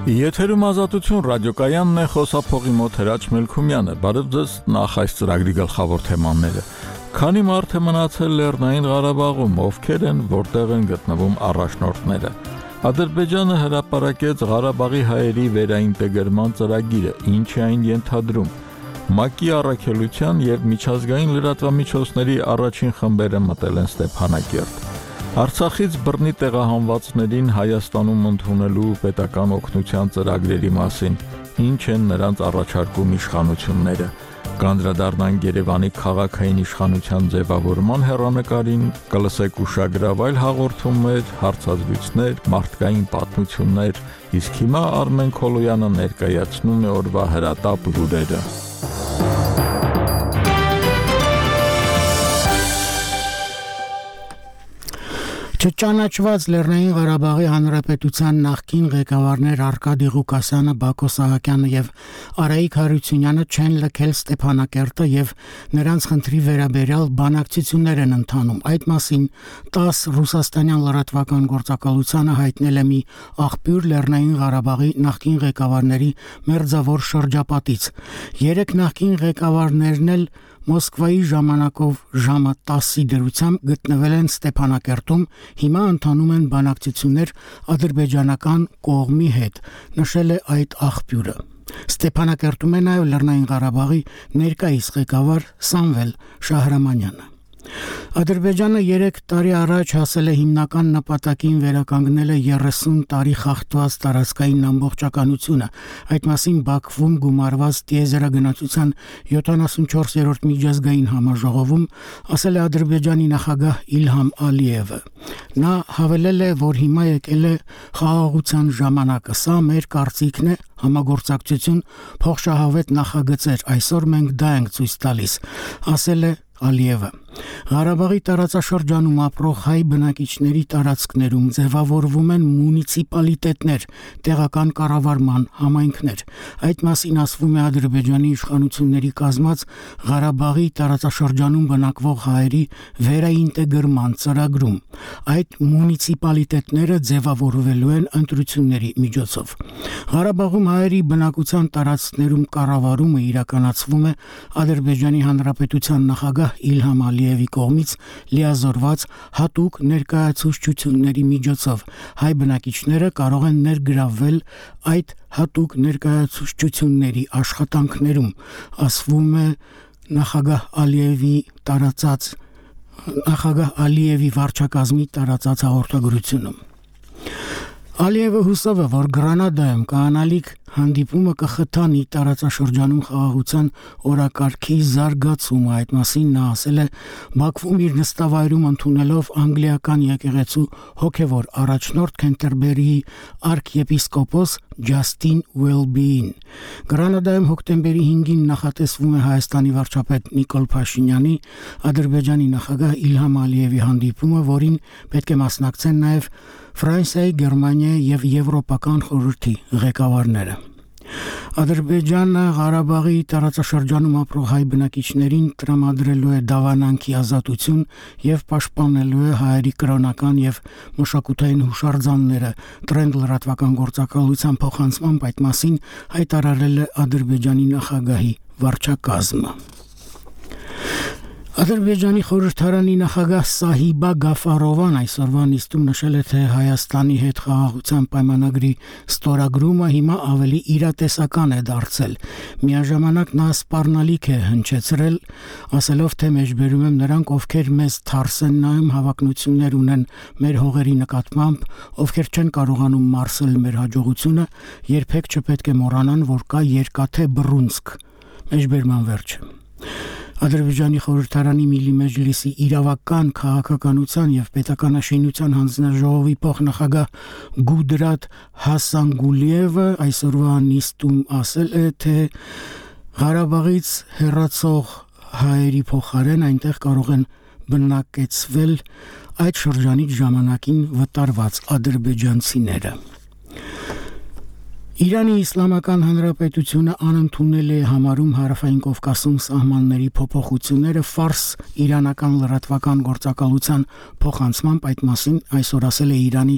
Եթերում ազատություն ռադիոկայանն է, խոսափողի մոտ Հրաչ Մելքումյանը։ Բարև ձեզ, նախ այս ծրագրի գլխավոր թեմաները։ Քանի մարդ է մնացել Լեռնային Ղարաբաղում, ովքեր են, որտեղ են գտնվում առաջնորդները։ Ադրբեջանը հրապարակեց Ղարաբաղի հայերի վերաինտեգրման ծրագիրը, ինչ է այն ենթադրում։ ՄԱԿ-ի առաքելության եւ միջազգային լրատվամիջոցների առաջին խմբերը մտել են Ստեփանակերտ։ Արցախից բռնի տեղահանվածներին Հայաստանում ընդունելու պետական օգնության ծրագրերի մասին, ինչ են նրանց առաջարկում իշխանությունները, կանդրադառնանք Երևանի քաղաքային իշխանության ձևավորման հեռանկարին, կլսեք ուշագրավ այլ հաղորդումներ, հարցազրույցներ, մարդկային պատմություններ, իսկ հիմա Արմեն Քոլոյանը ներկայացնում է օրվա հրատապ լուրերը։ Չճանաչված Լեռնային Ղարաբաղի Հանրապետության նախկին ղեկավարներ Արկադի Ղուկասյանը, Բակո Սահակյանը եւ Արայիկ Հարությունյանը չեն լքել Ստեփանակերտը եւ նրանց խնդրի վերաբերյալ բանակցություններ են ընթանում։ Այդ մասին 10 ռուսաստանյան լրատվական գործակալությանը հայտնել է մի աղբյուր Լեռնային Ղարաբաղի նախկին ղեկավարների մերձավոր շրջապատից։ 3 նախկին ղեկավարներն էլ Մոսկվայի ժամանակով ժամը 10-ի դրությամբ գտնվել են Ստեփանակերտում, հիմա ընթանում են բանակցություններ ադրբեջանական կողմի հետ, նշել է այդ աղբյուրը։ Ստեփանակերտում է նաև Լեռնային Ղարաբաղի ներկայիս ղեկավար Սամվել Շահրամանյանը։ Ադրբեջանը 3 տարի առաջ հասել է հիմնական նպատակին վերականգնել է 30 տարի խախտված տարածքային ամբողջականությունը։ Այդ մասին Բաքվում գումարված տիեզերագնացության 74-րդ միջազգային համաժողովում ասել է Ադրբեջանի նախագահ Իլհամ Ալիևը։ Նա հավելել է, որ հիմա եկել է խաղաղության ժամանակը, սա մեր կարծիքն է, համագործակցություն, փոխշահավետ նախագծեր, այսօր մենք դա ենք ցույց տալիս, ասել է Ալիևը։ Ղարաբաղի տարածաշրջանում ապրող հայ բնակիչների տարածքներում ձևավորվում են մունիցիպալիտետներ, տեղական կառավարման համայնքներ։ Այդ մասին ասվում է Ադրբեջանի իշխանությունների կազմած Ղարաբաղի տարածաշրջանում բնակվող հայերի վերաինտեգրման ծրագրում։ Այդ մունիցիպալիտետները ձևավորվելու են ընտրությունների միջոցով։ Ղարաբաղում հայերի բնակության տարածքներում կառավարումը իրականացվում է Ադրբեջանի Հանրապետության նախագահ Իլհամ Ալիևի կողմից լիազորված հատուկ ներկայացուցչությունների միջոցով։ Հայ բնակիչները կարող են ներգրավվել այդ հատուկ ներկայացուցչությունների աշխատանքներում, ասվում է նախագահ Ալիևի վարչակազմի տարածած հաղորդագրությունում։ Ալիևը հուսով է, որ Գրանադայում կանալիք հանդիպումը կխթանի տարածաշրջանում խաղաղության օրակարգի զարգացումը։ Այդ մասին նա ասել է Բաքվում իր նստավայրում ընդունելով անգլիական եկեղեցու հոգևոր առաջնորդ Քենտերբերիի արքեպիսկոպոս Ջաստին Ուելբիին։ Գրանադայում հոկտեմբերի 5-ին նախատեսվում է Հայաստանի վարչապետ Նիկոլ Փաշինյանի Ադրբեջանի նախագահ Իլհամ Ալիևի հանդիպումը, որին պետք է մասնակցեն նաև Ֆրանսիայի, Գերմանիայի եւ Եվրոպական խորհրդի ղեկավարները։ Ադրբեջանը Ղարաբաղի տարածաշրջանում ապրող հայ բնակիչներին տրամադրելու է դավանանքի ազատություն եւ պաշտպանելու է հայերի կրոնական եւ մշակութային հուշարձանները։ Տրենդ լրատվական գործակալության փոխանցմամբ այդ մասին հայտարարել է Ադրբեջանի նախագահի վարչակազմը։ Ադրբեջանի խորհրդարանի նախագահ Սահիբա Գաֆարովան այսօրվա նիստում նշել է, թե Հայաստանի հետ խաղաղության պայմանագրի ստորագրումը հիմա ավելի իրատեսական է դարձել։ Միաժամանակ նա սպառնալիք է հնչեցրել, ասելով, թե մեջբերում եմ նրանք, ովքեր մեզ թարս են նայում, հավակնություններ ունեն մեր հողերի նկատմամբ, ովքեր չեն կարողանում մարսել մեր հաջողությունը, երբեք չպետք է մոռանան, որ կա երկաթե բռունցք։ Մեջբերման վերջը։ Ադրբեջանի խորհրդարանի Միլի Մեջլիսի իրավական, քաղաքականության եւ պետականաշինության հանձնաժողովի փոխնախագահ Գուդրատ Հասանգուլիևը այսօրվա նիստում ասել է, թե Ղարաբաղից հեռացող հայերի փոխարեն այնտեղ կարող են բնակեցվել այդ շրջանից ժամանակին վտարված ադրբեջանցիները։ Իրանի Իսլամական Հանրապետությունը անընդունել է համարում Հարավային Կովկասում սահմանների փոփոխությունները ֆարս իրանական լրատվական գործակալության փոխանցմամբ այդ մասին այսօր ասել է Իրանի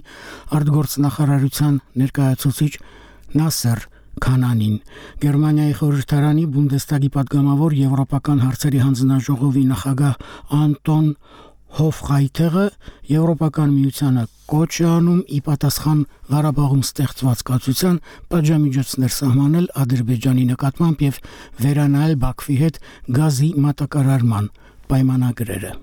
արտգործնախարարության ներկայացուցիչ Նասեր Քանանին։ Գերմանիայի խորհրդարանի Բունդեստագի պատգամավոր Եվրոպական հարցերի հանձնաժողովի նախագահ Անտոն Հոֆղայթերը Եվրոպական միությանը կոչ է անում ի պատասխան Ղարաբաղում ստեղծված կացության պատժամիջոցներ սահմանել Ադրբեջանի նկատմամբ եւ վերանայել Բաքվի հետ գազի մատակարարման պայմանագրերը։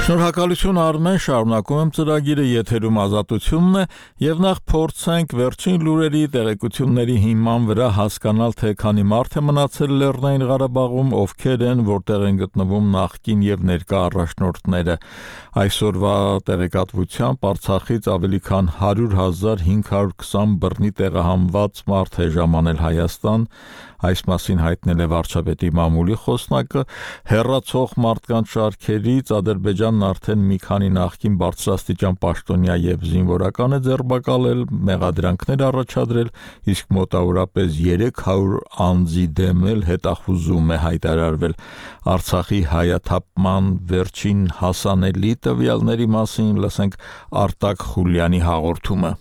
Շնորհակալություն Արմեն, շարունակում եմ ծրագիրը, եթերում Ազատությունն է եւ նախ փորձենք վերջին լուրերի տեղեկությունների հիման վրա հասկանալ, թե քանի մարդ է մնացել Լեռնային Ղարաբաղում, ովքեր են, որտեղ են գտնվում նախկին եւ ներկա առաջնորդները։ Այսօրվա տեղեկատվությամբ Արցախից ավելի քան 100,520 բռնի տեղահանված մարդ է ժամանել Հայաստան, այս մասին հայտնել է վարչապետի մամուլի խոսնակը, հեռացող մարդկանց շարքերից Ադրբեջանն արդեն մի քանի նախկին բարձրաստիճան պաշտոնյա եւ զինվորական է ձերբակալել, մեղադրանքներ առաջադրել, իսկ մոտավորապես 300 անձի դեմ էլ հետախուզում է հայտարարվել։ Արցախի հայաթափման վերջին հասանելի տվյալների մասին լսենք Արտակ Խուլյանի հաղորդումը։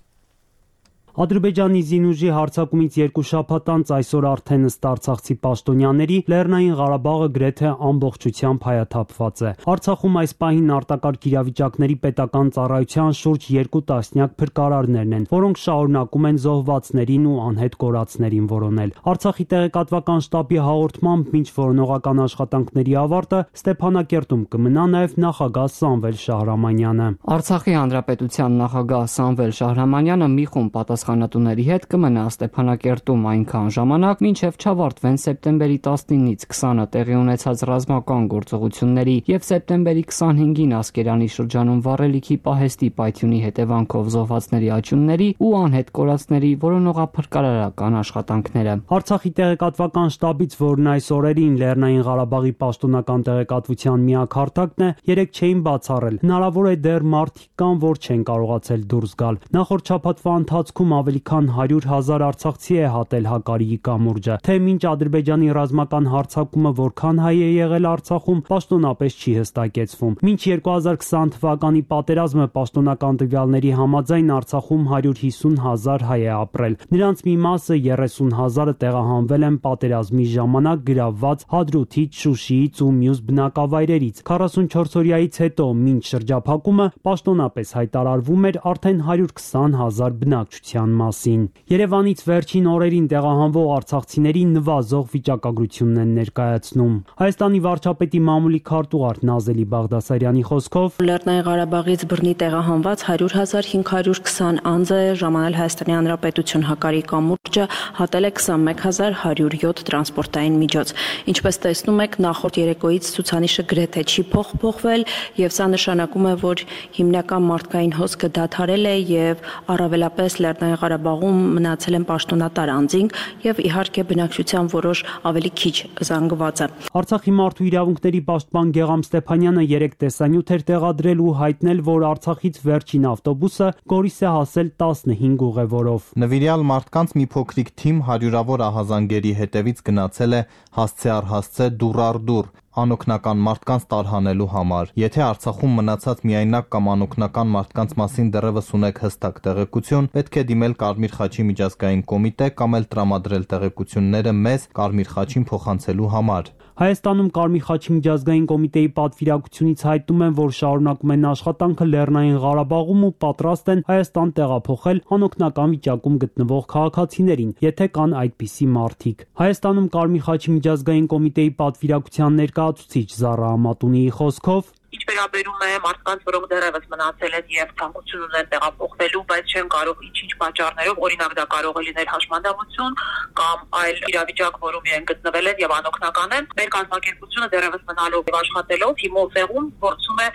Ադրբեջանի զինուժի հարձակումից 2 շաբաթ անց այսօր արդեն ըստ արցախցի պաշտոնյաների Լեռնային Ղարաբաղը գրեթե ամբողջությամբ հայաթափված է։ Արցախում այս պահին արտակարգ իրավիճակների պետական ծառայության շուրջ 2 տասնյակ փրկարարներն են, որոնք շարունակում են զոհվածներին ու անհետ կորածներին որոնել։ Արցախի տեղեկատվական շտաբի հաղորդմամբ մինչ որոնողական աշխատանքների ավարտը Ստեփանակերտում կմնա նաև նախագահ Սամվել Շահրամանյանը։ Արցախի հանրապետության նախագահ Սամվել Շահրամանյանը մի խումբ պատասխանատուների հետ կմնա Ստեփանակերտում այնքան ժամանակ, մինչև չավարտվեն սեպտեմբերի 19-ից 20-ը տեղի ունեցած ռազմական գործողությունների եւ սեպտեմբերի 25-ին Ասկերանի շրջանում վառելիքի պահեստի պայթյունի հետևանքով զոհվածների աճյունների ու անհետ կորածների որոնողափրկարարական աշխատանքները։ Արցախի տեղեկատվական շտաբից, որն այս օրերին Լեռնային Ղարաբաղի պաշտոնական տեղեկատվության միակ հարթակն է, 3 չէին բացառել։ Հնարավոր է դեռ մարդիկ կան, որ չեն կարողացել դուրս գալ։ Նախորդ շաբաթվա ընթացքում ավելի քան 100,000 արցախցի է հատել Հակարիի կամուրջը։ Թե մինչ Ադրբեջանի ռազմական հարձակումը որքան հայ է եղել Արցախում, պաշտոնապես չի հստակեցվում։ Մինչ 2020 թվականի պատերազմը պաշտոնական տվյալների համաձայն Արցախում 150,000 հայ է ապրել։ Նրանց մի մասը 30,000-ը տեղահանվել են պատերազմի ժամանակ գրավված Հադրութից, Շուշիից ու մյուս բնակավայրերից։ 44 օրյայից հետո, մինչ շրջափակումը, պաշտոնապես հայտարարվում էր արդեն 120,000 բնակչության մասին։ Երևանից վերջին օրերին տեղահանվող արցախցիների նվազող վիճակագրությունն են ներկայացնում։ Հայաստանի վարչապետի մամուլի քարտուղար Նազելի Բաղդասարյանի խոսքով Լեռնային Ղարաբաղից բռնի տեղահանված 100,520 անձ է ժամանել Հայաստանի Հանրապետություն Հակարիի կամուրջը, հատել է 21,107 տրանսպորտային միջոց։ Ինչպես տեսնում եք, նախորդ երեկոյից ցուցանիշը գրեթե չի փոխվել եւ սա նշանակում է, որ հիմնական մարդկային հոսքը դադարել է եւ առավելապես Լեռնային Ղարաբաղում մնացել են պաշտոնատար անձինք եւ իհարկե բնակչության որոշ ավելի քիչ զանգվածը։ Արցախի մարդու իրավունքների պաշտպան Գեգամ Ստեփանյանը 3 տեսանյութ էր տեղադրել ու հայտնել, որ Արցախից վերջին ավտոբուսը Գորիս է հասել 15 ուղևորով։ Նվիրյալ մարդկանց մի փոքրիկ թիմ հարյուրավոր ահազանգերի հետևից գնացել է հասցե առ հասցե դուռ առ դուռ անօգնական մարդկանց տարհանելու համար։ Եթե Արցախում մնացած միայնակ կամ անօգնական մարդկանց մասին դեռևս ունեք հստակ տեղեկություն, պետք է դիմել Կարմիր խաչի միջազգային կոմիտե կամ էլ տրամադրել տեղեկությունները մեզ Կարմիր խաչին փոխանցելու համար։ Հայաստանում Կարմիր խաչի միջազգային կոմիտեի պատվիրակությունից հայտնում են, որ շարունակում են աշխատանքը Լեռնային Ղարաբաղում ու պատրաստ են Հայաստան տեղափոխել անօգնական վիճակում գտնվող քաղաքացիներին, եթե կան այդպիսի մարդիկ։ Հայաստանում Կարմիր խաչի միջազգային կոմիտեի պատվիրակության ներկայացուցիչ Զառա Ամատունիի խոսքով Ինչ վերաբերում է մարդկանց, որոնք դեռևս մնացել են եւ ցանկություն ունեն տեղափոխվելու, բայց չեն կարող ինչ-ինչ պատճառներով, օրինակ դա կարող է լինել հաշմանդամություն կամ այլ իրավիճակ, որում իրենք գտնվել են եւ անօգնական են, մեր կազմակերպությունը դեռևս մնալով եւ աշխատելով թիմով տեղում փորձում է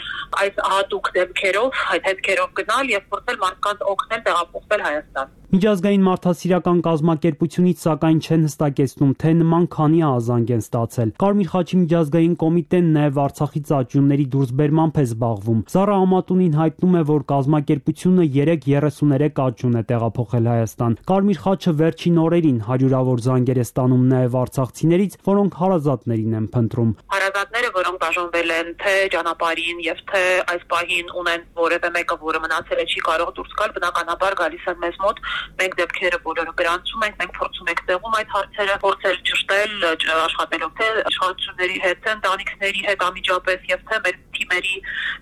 այս հատուկ դեպքերով, այդ հետքերով գնալ եւ փորձել մարդկանց օգնել տեղափոխվել Հայաստան։ Միջազգային մարդասիրական կազմակերպությունից սակայն չեն հստակեցնում, թե նման քանի ազանգ են ստացել։ Կարմիր խաչի միջազգային կոմիտեն նաև Արցախից աճյունների դուրսբերմամբ է զբաղվում։ Զառա Ամատունին հայտնում է, որ կազմակերպությունը 33 աճյուն է տեղափոխել Հայաստան։ Կարմիր խաչը վերջին օրերին հարյուրավոր զանգեր է ստանում նաև արցախցիներից, որոնք հարազատներին են փնտրում։ Հարազատները, որոնք բաժանվել են թե ճանապարհին եւ թե այս պահին ունեն որևէ մեկը, որը մնացել է չի կարող դուրս գալ, բնականաբար գալիս են մեզ մոտ։ Մենք դեպքերը բոլորը գրանցում ենք, մենք փորձում ենք տեղում այդ հարցերը փորձել ճշտել, աշխատելով թե իշխանությունների հետ, թե ընտանիքների հետ անմիջապես եւ թե մեր թիմերի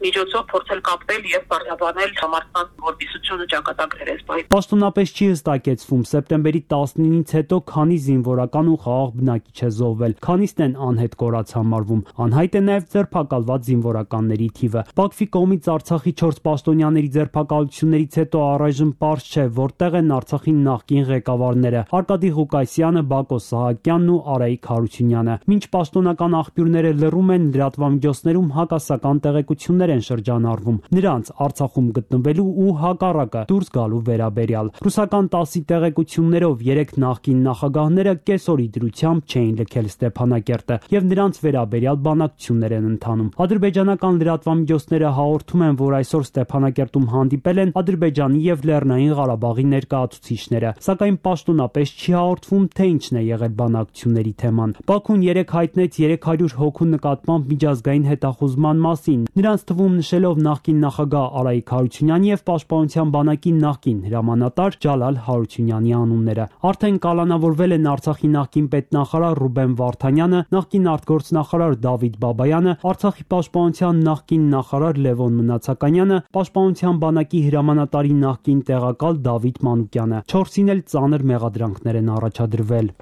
միջոցով փորձել կապվել եւ բարձրաբանել մարդկանց որբիսությունը ճակատագրեր այս պահին։ Պաշտոնապես չի հստակեցվում սեպտեմբերի 19-ից հետո քանի զինվորական ու խաղաղ բնակիչ է զոհվել, քանիսն են անհետ կորած համարվում։ Անհայտ է նաև ձերբակալված զինվորականների թիվը։ Բաքվի կողմից Արցախի 4 պաշտոնյաների ձերբակալություններից հետո առայժմ պարզ չէ, որտեղ են Արցախի նախկին ղեկավարները՝ Արկադի Ղուկասյանը, Բակո Սահակյանն ու Արայիկ Հարությունյանը։ Մինչ պաշտոնական աղբյուրները լռում են, լրատվամիջոցներում հակասական տեղեկություններ են շրջանառվում նրանց Արցախում գտնվելու ու հակառակը դուրս գալու վերաբերյալ։ Ռուսական ՏԱՍՍ-ի տեղեկություններով 3 նախկին նախագահները կեսօրի դրությամբ չէին լքել Ստեփանակերտը եւ նրանց վերաբերյալ բանակցություններ են ընթանում։ Ադրբեջանական լրատվամիջոցները հաղորդում են, որ այսօր Ստեփանակերտում հանդիպել են Ադրբեջանի եւ Լեռնային Ղարաբաղի ներկայացուցիչները, սակայն պաշտոնապես չի հաղորդվում, թե ինչն է եղել բանակցությունների թեման։ Բաքուն 3 հայտնեց 300 հոգու նկատմամբ միջազգային հետախուզման մասին, նրանց թվում նշելով նախկին նախագահ Արայիկ Հարությունյանի եւ Պաշտպանության բանակի նախկին հրամանատար Ջալալ Հարությունյանի անունները։ Արդեն կալանավորվել են Արցախի նախկին պետնախարար Ռուբեն Վարդանյանը, նախկին արտգործնախարար Դավիթ Բաբայանը, Արցախի պաշտպանության նախկին նախարար Լևոն Մնացականյանը, Պաշտպանության բանակի հրամանատարի նախկին տեղակալ Դավիթ Մանուկյանը։ 4-ին էլ ծանր մեղադրանքներ են առաջադրվել։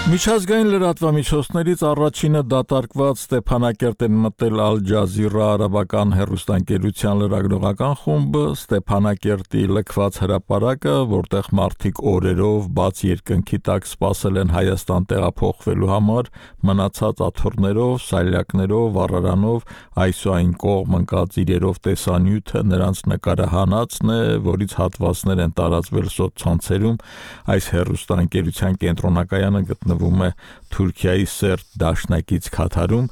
Միջազգային լրատվամիջոցներից առաջինը դատարկված Ստեփանակերտեն մտել Ալ Ջազիրա արաբական հեռուստաընկերության լրագրողական խումբը, Ստեփանակերտի լքված հրապարակը, որտեղ մարդիկ օրերով բաց երկնքի տակ սպասել են Հայաստան տեղափոխվելու համար, մնացած աթոռներով, սալյակներով, վառարանով, այսուայն կողմ ընկած իրերով տեսանյութը նրանց նկարահանածն է, որից հատվածներ են տարածվել սոցցանցերում։ Այս հեռուստաընկերության կենտրոնակայանը գտնվում է Թուրքիայի Սերտ դաշնակից Քաթարում։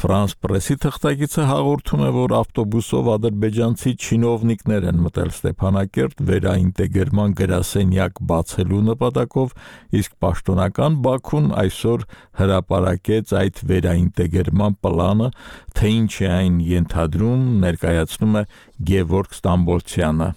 Ֆրանս պրեսի թղթակիցը հաղորդում է, որ ավտոբուսով ադրբեջանցի չինովնիկներ են մտել Ստեփանակերտ վերաինտեգրման գրասենյակ բացելու նպատակով, իսկ պաշտոնական Բաքուն այսօր հրապարակեց այդ վերաինտեգրման պլանը, թե ինչ է այն ենթադրում, ներկայացնում է Գևորգ Ստամբոլցյանը։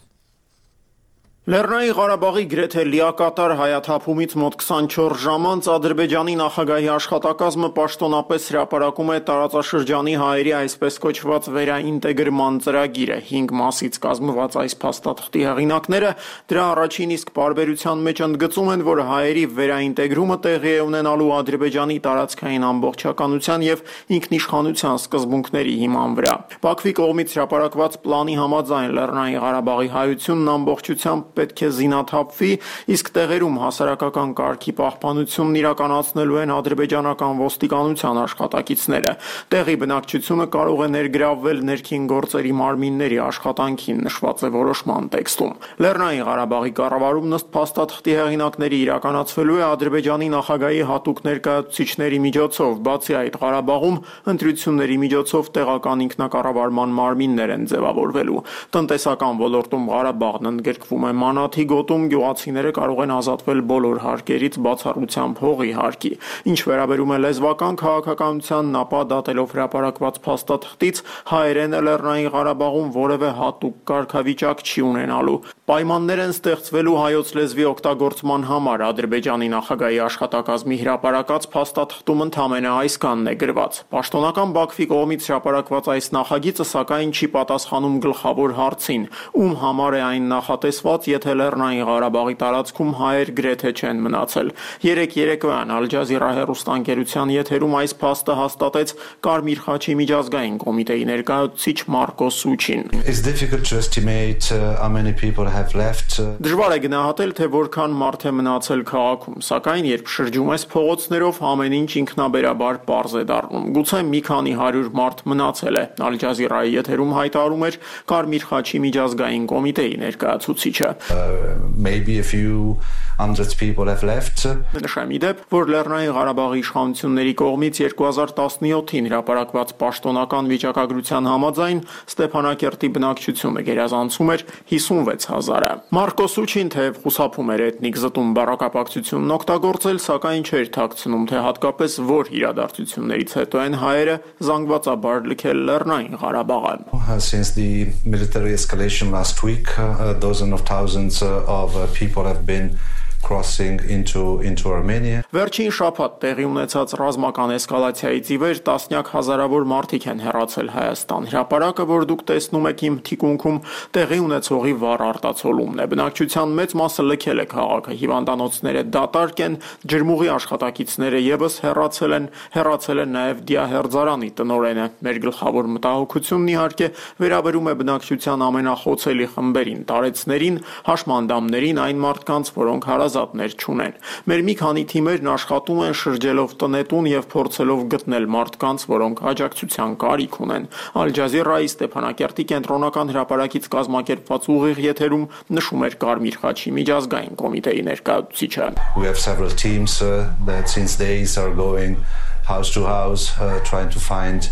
Լեռնային Ղարաբաղի գրեթե լիակատար հայաթափումից մոտ 24 ժամ անց Ադրբեջանի նախագահի աշխատակազմը պաշտոնապես հրապարակում է տարածաշրջանի հայերի այսպես կոչված վերաինտեգրման ծրագիրը։ 5 մասից կազմված այս փաստաթղթի հեղինակները դրա առաջին իսկ պարբերության մեջ ընդգծում են, որ հայերի վերաինտեգրումը տեղի է ունենալու Ադրբեջանի տարածքային ամբողջականության եւ ինքնիշխանության սկզբունքների հիման վրա։ Բաքվի կողմից հրապարակված պլանի համաձայն Լեռնային Ղարաբաղի հայությունն ամբողջությամբ պետք է զինաթափվի, իսկ տեղերում հասարակական կարգի պահպանությունն իրականացնելու են ադրբեջանական ոստիկանության աշխատակիցները։ Տեղի բնակչությունը կարող է ներգրավվել ներքին գործերի մարմինների աշխատանքին, նշված է որոշման տեքստում։ Լեռնային Ղարաբաղի կառավարումն ըստ փաստաթղթի հեղինակների իրականացվելու է Ադրբեջանի նախագահի հատուկ ներկայացուցիչների միջոցով, բացի այդ Ղարաբաղում ընտրությունների միջոցով տեղական ինքնակառավարման մարմիններ են ձևավորվելու։ Տնտեսական ոլորտում Ղարաբաղն ընդգրկվում է Մանաթի գոտում գյուղացիները կարող են ազատվել բոլոր հարկերից բացառությամբ հողի հարկի։ Ինչ վերաբերում է լեզվական քաղաքականությանն, ապա դատելով հրապարակված փաստաթղթից հայերենը Լեռնային Ղարաբաղում որևէ հատուկ կարգավիճակ չի ունենալու։ Պայմաններ են ստեղծվելու հայոց լեզվի օգտագործման համար։ Ադրբեջանի նախագահի աշխատակազմի հրապարակած փաստաթղթում ընդամենը այսքանն է գրված։ Պաշտոնական Բաքվի կողմից հրապարակված այս նախագիծը սակայն չի պատասխանում գլխավոր հարցին՝ ում համար է այն նախատեսված, եթե Լեռնային Ղարաբաղի տարածքում հայեր գրեթե չեն մնացել։ Երեկոյան Ալ Ջազիրա հեռուստաընկերության եթերում այս փաստը հաստատեց Կարմիր խաչի միջազգային կոմիտեի ներկայացուցիչ Մարկո Սուչին։ Դժվար է գնահատել, թե որքան մարդ է մնացել քաղաքում, սակայն երբ շրջում ես փողոցներով, ամեն ինչ ինքնաբերաբար պարզ է դառնում։ Գուցե մի քանի 100 մարդ մնացել է, Ալ Ջազիրայի եթերում հայտարարում էր Կարմիր խաչի միջազգային կոմիտեի ներկայացուցիչը։ Maybe a few hundred people have left. Նշեմ ի դեպ, որ Լեռնային Ղարաբաղի իշխանությունների կողմից 2017-ին հրապարակված պաշտոնական վիճակագրության համաձայն Ստեփանակերտի բնակչությունը գերազանցում էր 56,000-ը։ Մարկո Սուչին թեև խուսափում էր էթնիկ զտում բառակապակցությունն օգտագործել, սակայն չէր թաքցնում, թե հատկապես որ իրադարձություններից հետո են հայերը զանգվածաբար լքել Լեռնային Ղարաբաղը։ Since the military escalation last week, dozens of thousands of people have been crossing into Armenia. Վերջին շաբաթ տեղի ունեցած ռազմական էսկալացիայից ի վեր տասնյակ հազարավոր մարդիկ են հեռացել Հայաստան։ Հրապարակը, որ դուք տեսնում եք իմ թիկունքում, տեղի ունեցողի վառ արտացոլումն է։ Բնակչության մեծ մասը լքել է քաղաքը, հիվանդանոցները դատարկ են, ջրմուղի աշխատակիցները եւս հեռացել են նաև դիահերձարանի տնօրենը։ Մեր գլխավոր մտահոգությունն իհարկե վերաբերում է բնակչության ամենախոցելի խմբերին, տարեցներին, հաշմանդամներին, այն մարդկանց, որոնք հարազատներ չունեն։ Մեր մի քանի թիմերն աշխատում են շրջելով տնետուն եւ փորձելով գտնել մարդկանց, որոնք աջակցության կարիք ունեն։ Ալ Ջազիրայի Ստեփանակերտի կենտրոնական հրապարակից կազմակերպված ուղիղ եթերում նշում էր Կարմիր խաչի միջազգային կոմիտեի ներկայացուցիչը։ We have several teams that since days are going house to house trying to find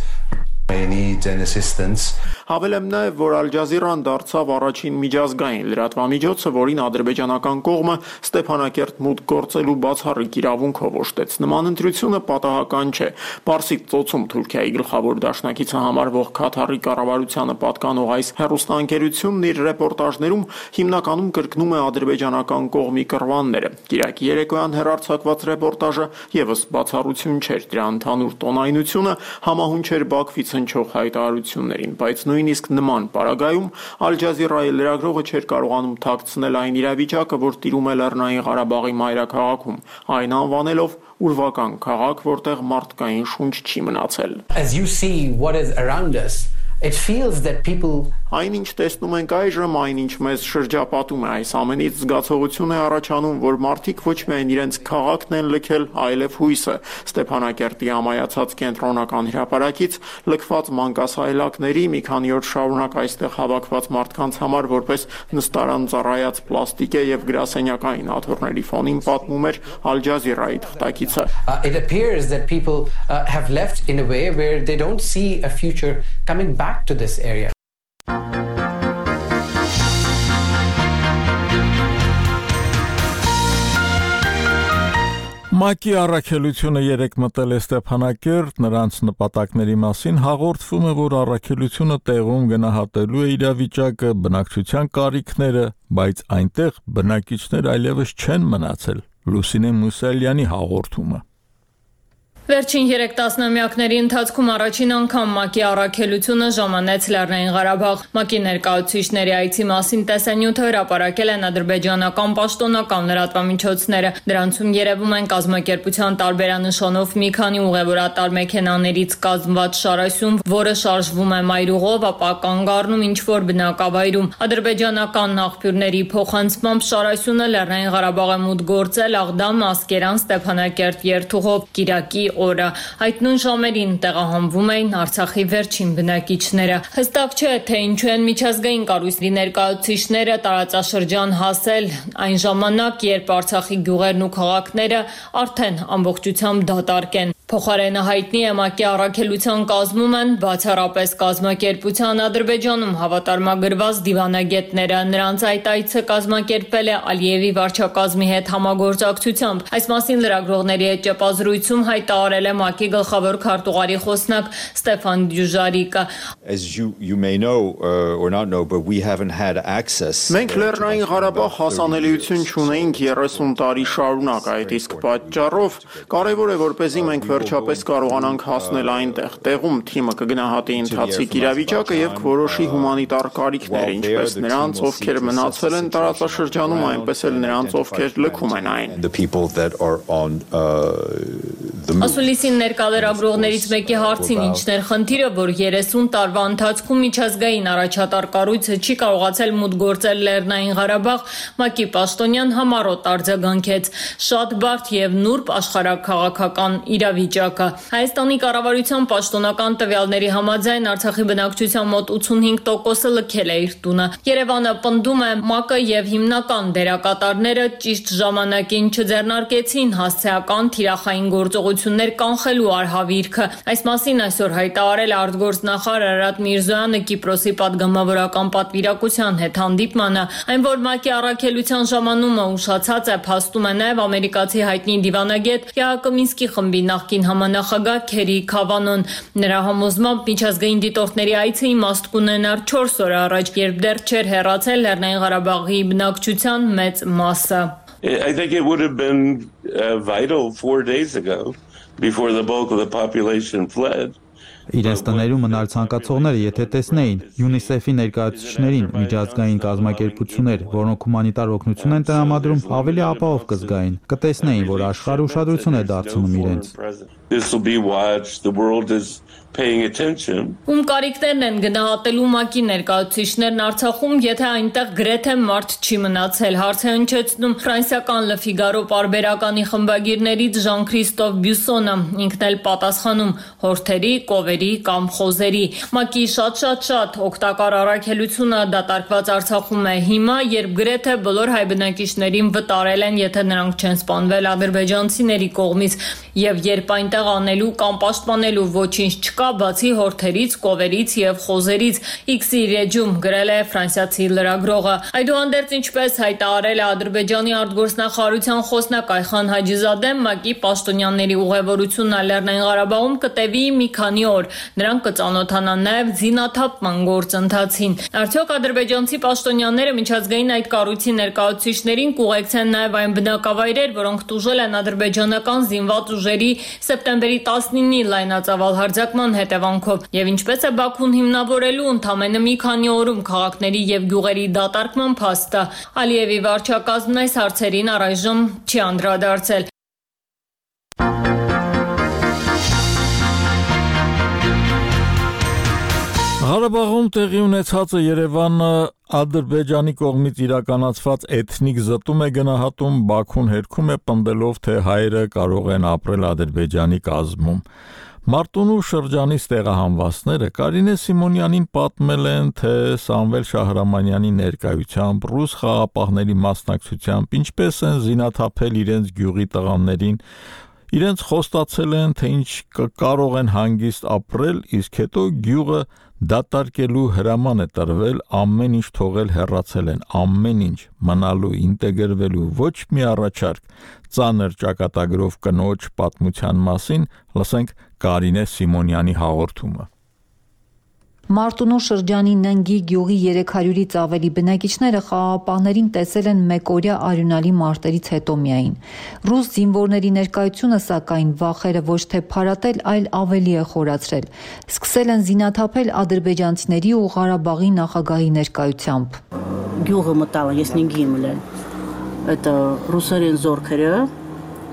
need and assistance. Հավելեմ նաև, որ Ալ Ջազիրան դարձավ առաջին միջազգային լրատվամիջոցը, որին ադրբեջանական կողմը Ստեփանակերտ մուտք գործելու բացառիկ իրավունքով օժտեց։ Նման ընտրությունը պատահական չէ։ Պարսից ծոցում Թուրքիայի գլխավոր դաշնակիցը համարվող Քաթարի կառավարությանը պատկանող այս հեռուստաընկերությունն իր ռեպորտաժներում հիմնականում կրկնում է ադրբեջանական կողմի կռվանները։ Կիրակի երեկոյան հեռարձակված ռեպորտաժը եւս բացառություն չէր, դրա ընդհանուր տոնայնությունը համահունչ էր Բաքվից հնչող հայտարարություններին, բայց նույնիսկ նման պարագայում Ալ Ջազիրայի լրագրողը չէր կարողանում թաքցնել այն իրավիճակը, որ տիրում է Լեռնային Ղարաբաղի մայրաքաղաքում, այն անվանելով ուրվական քաղաք, որտեղ մարդկային շունչ չի մնացել։ As you see what is around us, it feels that people Այնինչ տեսնում ենք այժմ, այնինչ մեզ շրջապատում է, այս ամենից զգացողություն է առաջանում, որ մարդիկ ոչ միայն իրենց քաղաքն են լքել, այլև հույսը։ Ստեփանակերտի ամայացած կենտրոնական հրապարակից լքված մանկասայլակների մի քանի օր շարունակ այստեղ հավաքված մարդկանց համար որպես նստարան ծառայած պլաստիկ է եւ գրասենյակային աթոռների ֆոնին պատմում էր Ալ Ջազիրայի թղթակիցը։ It appears that people have left in a way where they don't see a future coming back to this area. ՄԱԿ-ի առաքելությունը երեկ մտել է Ստեփանակերտ, նրանց նպատակների մասին հաղորդվում է, որ առաքելությունը տեղում գնահատելու է իրավիճակը, բնակչության կարիքները, բայց այնտեղ բնակիչներ այլևս չեն մնացել։ Լուսինե Մուսալյանի հաղորդումը։ Վերջին 3 տասնամյակների ընթացքում առաջին անգամ ՄԱԿ-ի առաքելությունը ժամանեց Լեռնային Ղարաբաղ։ ՄԱԿ-ի ներկայացուցիչների այցի մասին տեսանյութը հրապարակել են ադրբեջանական պաշտոնական լրատվամիջոցները։ Դրանցում երևում են կազմակերպության տարբերանշանով մի քանի ուղևորատար մեքենաներից կազմված շարասյուն, որը շարժվում է մայրուղով, ապա կանգ առնում ինչ-որ բնակավայրում։ Ադրբեջանական աղբյուրների փոխանցմամբ շարասյունը Լեռնային Ղարաբաղ է մուտք գործել Աղդամ, Ասկերան, Ստեփանակերտ երթուղով Կիրակի օրը։ Այդ նույն ժամերին տեղահանվում էին Արցախի վերջին բնակիչները։ Հստակ չէ, թե ինչու են միջազգային կառույցների ներկայացուցիչները տարածաշրջան հասել այն ժամանակ, երբ Արցախի գյուղերն ու քաղաքները արդեն ամբողջությամբ դատարկ են։ Փոխարենը հայտնի է ՄԱԿ-ի առաքելության կազմում են բացառապես կազմակերպության Ադրբեջանում հավատարմագրված դիվանագետները։ Նրանց այդ այցը կազմակերպել է Ալիևի վարչակազմի հետ համագործակցությամբ։ Այս մասին լրագրողների հետ ճեպազրույցում հայտարարել է ՄԱԿ-ի գլխավոր քարտուղարի խոսնակ Ստեփան Դյուժարիկը։ Մենք Լեռնային Ղարաբաղ հասանելիություն չունեինք 30 տարի շարունակ, այդ իսկ պատճառով կարևոր է որպեսզի մենք վերջապես կարողանանք հասնել այնտեղ։ Տեղում թիմը կգնահատի ընթացիկ իրավիճակը եւ կորոշի հումանիտար կարիքները, ինչպես նրանց, ովքեր մնացել են տարածաշրջանում, այնպես էլ նրանց, ովքեր լքում են այն։ Ասուլիսին ներկալերագրողներից մեկի հարցին ինչն էր խնդիրը, որ 30 տարվա ընթացքում միջազգային առաջատար կառույցը չի կարողացել մուտք գործել Լեռնային Ղարաբաղ, ՄԱԿ-ի պաշտոնյան համառոտ արձագանքեց. շատ բարդ եւ նուրբ աշխարհաքաղաքական իրավիճակը։ Հայաստանի կառավարության պաշտոնական տվյալների համաձայն Արցախի բնակչության մոտ 85%-ը լքել է իր տունը։ Երևանը պնդում է ՄԱԿ-ը եւ հիմնական դերակատարները ճիշտ ժամանակին չձեռնարկեցին հասցեական թիրախային գործողություններ կանխելու արհավիրքը։ Այս մասին այսօր հայտարարել է արտգործնախարար Արարատ Միրզոյանը Կիպրոսի պատգամավորական պատվիրակության հետ հանդիպմանը, այն որ ՄԱԿ-ի առաքելության ժամանումը ուշացած է, փաստում է նաև ամերիկացի հայտնի դիվանագետ ԵԱՀԿ Մինսկի խմբի նախկին համանախագահ Քերի Քավանոն։ Նրա համոզմամբ միջազգային դիտորդների այցը իմաստ կունենար 4 օր առաջ, երբ դեռ չէր հեռացել Լեռնային Ղարաբաղի բնակչության մեծ մասը։ I think it would have been vital 4 days ago before the bulk of the population fled. Իրենց տներում մնալ ցանկացողները, եթե տեսնեին UNICEF-ի ներկայացուցիչներին, միջազգային կազմակերպություններ, որոնք հումանիտար օգնություն են տրամադրում, ավելի ապահով կզգային, կտեսնեին, որ աշխարհը ուշադրություն է դարձնում իրենց։ This will be watched. The world is paying attention. Ում կարիքներն են գնահատելու ՄԱԿ-ի ներկայացուցիչներն Արցախում, եթե այնտեղ գրեթե մարդ չի մնացել, հարց է հնչեցնում ֆրանսիական Le Figaro պարբերականի խմբագիրներից Ժան-Քրիստոֆ Բյուսոնը, ինքն էլ պատասխանում հորթերի, կովերի կամ խոզերի։ ՄԱԿ-ի շատ օգտակար առաքելությունը դատարկված Արցախում է հիմա, երբ գրեթե բոլոր հայ բնակիչներին վտարել են, եթե նրանք չեն սպանվել ադրբեջանցիների կողմից, եւ երբ այնտեղ անելու կամ պաշտպանելու ոչինչ չկա, բացի հորթերից, կովերից եւ խոզերից, X-ի էջում գրել է ֆրանսիացի լրագրողը։ Այդուհանդերձ, ինչպես հայտարարել է Ադրբեջանի արտգործնախարարության խոսնակ Այխան Հաջիզադեն, ՄԱԿ-ի պաշտոնյաների ուղևորությունը Լեռնային Ղարաբաղում կտևի մի քանի օր։ Նրանք կծանոթանան նաեւ զինաթափման գործընթացին։ Արդյոք ադրբեջանցի պաշտոնյաները միջազգային այդ կառույցի ներկայացուցիչներին կուղեկցեն նաեւ այն բնակավայրեր, որոնք տուժել են ադրբեջանական զինված ուժերի սեպտեմբերի 19-ի լայնածավալ հարձակման հետևանքով, եւ ինչպես է Բաքուն հիմնավորելու ընդամենը մի քանի օրում քաղաքների եւ գյուղերի դատարկման փաստը։ Ալիևի վարչակազմն այս հարցերին առայժմ չի անդրադարձել։ Ղարաբաղում տեղի ունեցածը Երևանը Ադրբեջանի կողմից իրականացված էթնիկ զտում է գնահատում, Բաքուն հերքում է պնդելով, թե հայերը կարող են ապրել Ադրբեջանի կազմում։ Մարտունու շրջանից տեղահանվածները Կարինե Սիմոնյանին պատմել են, թե Սամվել Շահրամանյանի ներկայությամբ ռուս խաղապահների մասնակցությամբ ինչպես են զինաթափել իրենց գյուղի տղաներին, իրենց խոստացել են, թե ինչ կարող են հանգիստ ապրել, իսկ հետո գյուղը դատարկելու հրաման է տրվել, ամեն ինչ թողել հեռացել են, ամեն ինչ մնալու, ինտեգրվելու, ոչ մի առաջարկ, ծանր ճակատագրով կնոջ պատմության մասին, լսենք Կարինե Սիմոնյանի հաղորդումը։ Մարտունու շրջանի Ննգի գյուղի 300-ից ավելի բնակիչները խաղաղապահներին տեսել են մեկօրյա արյունալի մարտերից հետո միայն։ Ռուս զինվորների ներկայությունը, սակայն, վախերը ոչ թե փարատել, այլ ավելի է խորացրել։ Սկսել են զինաթափել ադրբեջանցիների ու Ղարաբաղի նախագահի ներկայությամբ։ Գյուղը մտալ, ես Ննգի եմ ելել։ Это ռուսերեն զորքերը,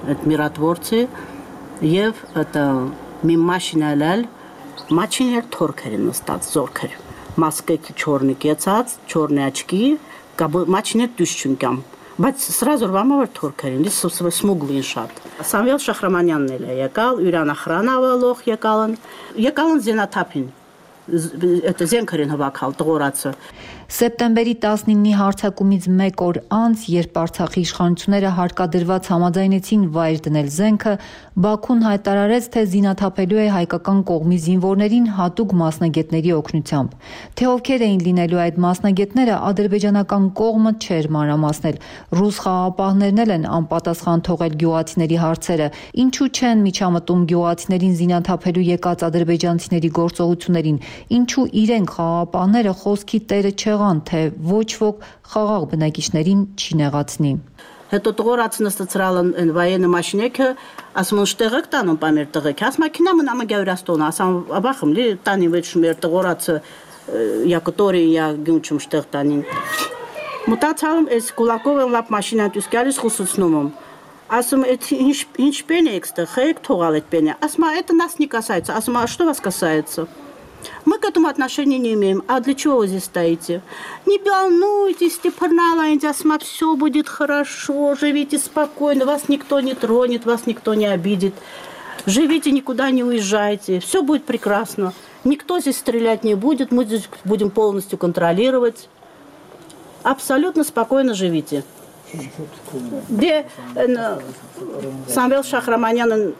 այդ միրատվորցի եւ это մի մաշինա լալ Մաչիներ թորքեր են նստած զորքեր, մասկեքի չորնի կեցած, չորնի աչքի, մաչիներ դուշչունկամ, բայց սրազոր վամավար թորքեր են, սմուգլին շատ։ Սամվել Շահրամանյանն էլ է եկալ, յուրան ախրանավալող եկալն զենաթափին, это զենքեր են հվակալ, տղորացը։ Սեպտեմբերի 19-ի հարձակումից մեկ օր անց, երբ Արցախի իշխանությունները հարկադրված համաձայնեցին վայր դնել զենքը, Բաքուն հայտարարեց, թե զինաթափելու է հայկական կողմի զինվորներին հատուկ մասնագետների օգնությամբ։ Թե ովքեր էին լինելու այդ մասնագետները, ադրբեջանական կողմը չէր մանրամասնել։ Ռուս խաղաղապահներն էլ են անպատասխան թողել գյուղացիների հարցերը։ Ինչու չեն միջամտում գյուղացիներին զինաթափելու եկած ադրբեջանցիների գործողություններին, ինչու իրենք խաղաղապահները խոսքի տերը չեղան, թե ոչ ոք խաղաղ բնակիչներին չի նեղացնի։ Հետո տղորացը նստացրալ են վայենը մաշինեքը, ասում են շտեղեք տանում պամեր տղեկ, աս մակինա մնամը գավրաստոն, ասամ աբախım լի տանի վեճ մեր տղորացը я который я գյունչում շտեղ տանին։ Մտածալım այս կուլակով են լապ մաշինան դուսկալիս խուսուցնում եմ։ Ասում ինչ пене экстер, хэк тогал эт пене. Асма это нас не касается. Асма, а что вас касается? Мы к этому отношения не имеем. А для чего вы здесь стоите? Не волнуйтесь, Степаналайнди, Асма, все будет хорошо, живите спокойно, вас никто не тронет, вас никто не обидит. Живите, никуда не уезжайте, все будет прекрасно. Никто здесь стрелять не будет, мы здесь будем полностью контролировать. Абсолютно спокойно живите. Де Самվել Шахраманян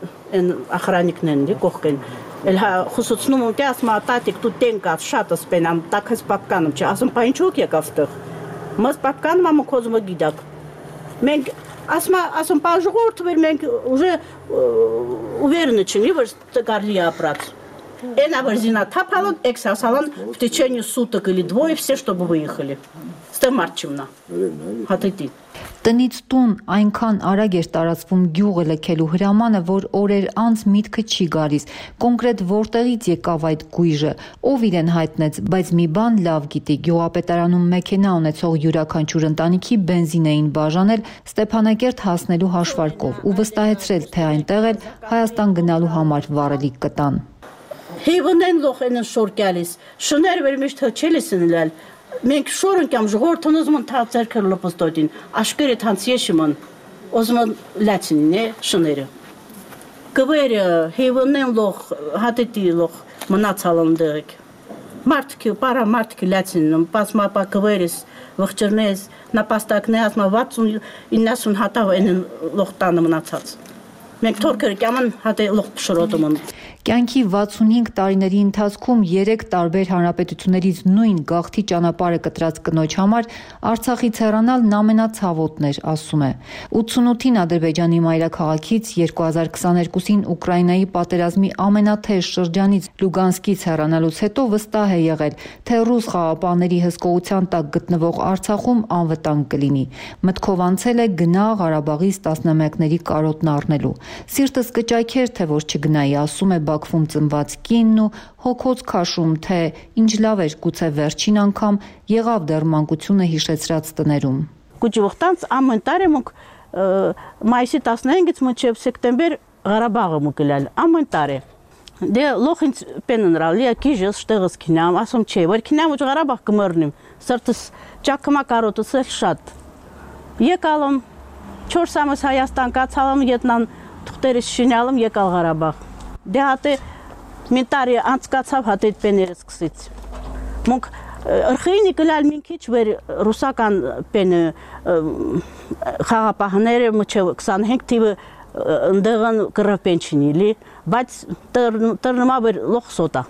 охранникнен, де кохкен. Эльха хусуцнум те асма татик тут тенка шатас пенам так с папканом, че асм паинчук якавтых. Мы с папканом маму козма гидак. Мен асм пажгорт мен уже уверены, че не ваш гарлия прат. Эна варзина тапалон эксасалон в течение суток или двое все, чтобы выехали. Ստամարչումնա հատիտի Տնից տուն այնքան արագ էր տարածվում գյուղը լքելու հրամանը, որ օրեր անց միտքը չի գալիս, կոնկրետ որտեղից եկավ այդ գույժը, ով իրեն հայտնեց, բայց մի բան լավ գիտի, գյուղապետարանում մեքենա ունեցող յուրաքանչյուր ընտանիքի բենզին էին բաժանել Ստեփանակերտ հասնելու հաշվարկով ու վստահեցրել, թե այնտեղ էլ Հայաստան գնալու համար վառելիք կտան։ Հիվնեն լոխեն շորկալիս, շներ վերմիշտ հչելիսնլալ Մենք շորն կամ ժողովրդն ուզում են թացերքել լոպստոդին, աշկերը թանց եշիմն, ուզում են լացինին է շները։ Կվերը հիվնեն լող, հատետի լող մնացալն դեղեք։ Մարդկի, պարա մարդկի լացինն, պասմապա կվերես, վղջրնես, նապաստակնե ասմա 60-90 հատավ են լող տանը մնացած։ Մենք թորքերը կաման հատե լող պշրոտում են։ Կյանքի 65 տարիների ընթացքում 3 տարբեր հանրապետություններից նույն գաղթի ճանապարհը կտրած կնոջ համար Արցախից հեռանալն ամենացավոտն էր, ասում է։ 88-ին Ադրբեջանի մայրաքաղաքից 2022-ին Ուկրաինայի պատերազմի ամենաթեժ շրջանից Լուգանսկից հեռանալուց հետո վստահ է եղել, թե ռուս խաղապահների հսկողության տակ գտնվող Արցախում անվտանգ կլինի։ Մտքով անցել է գնա Ղարաբաղից տասնամյակների կարոտն առնելու։ Սիրտս կճայքեր, թե որ չգնայի, ասում է Բաքվում ծնված կինն ու հոգոց քաշում, թե ինչ լավ էր գուցե վերջին անգամ եղավ դեռ մանկությունը հիշեցրած տներում։ Գուջուղտանց ամեն տարի մուկ մայիսի 15-ից մինչև սեպտեմբեր Ղարաբաղը մուկելալ ամեն տարի։ Դե լոխինց պեննրալի ակիժս շտեղս քինամ, ասում չէ, որ քինամ ու Ղարաբաղ կմեռնիմ։ Սրտս ճակմա կարոտս էլ շատ։ Եկալım 4 ամիս Հայաստան կացալım, ետնան թուղթերս շինալım, եկալ Ղարաբաղ։ Դե հատե մինտարի անցկացավ հատետ պեներս սկսից։ Մոնք ըրխինի կլալ մին քիչ վեր ռուսական պենը խաղապահները մոչև 25 թիվը ընդեղան կրապենչինիլի, բայց տրնմա վեր լոխսոտա։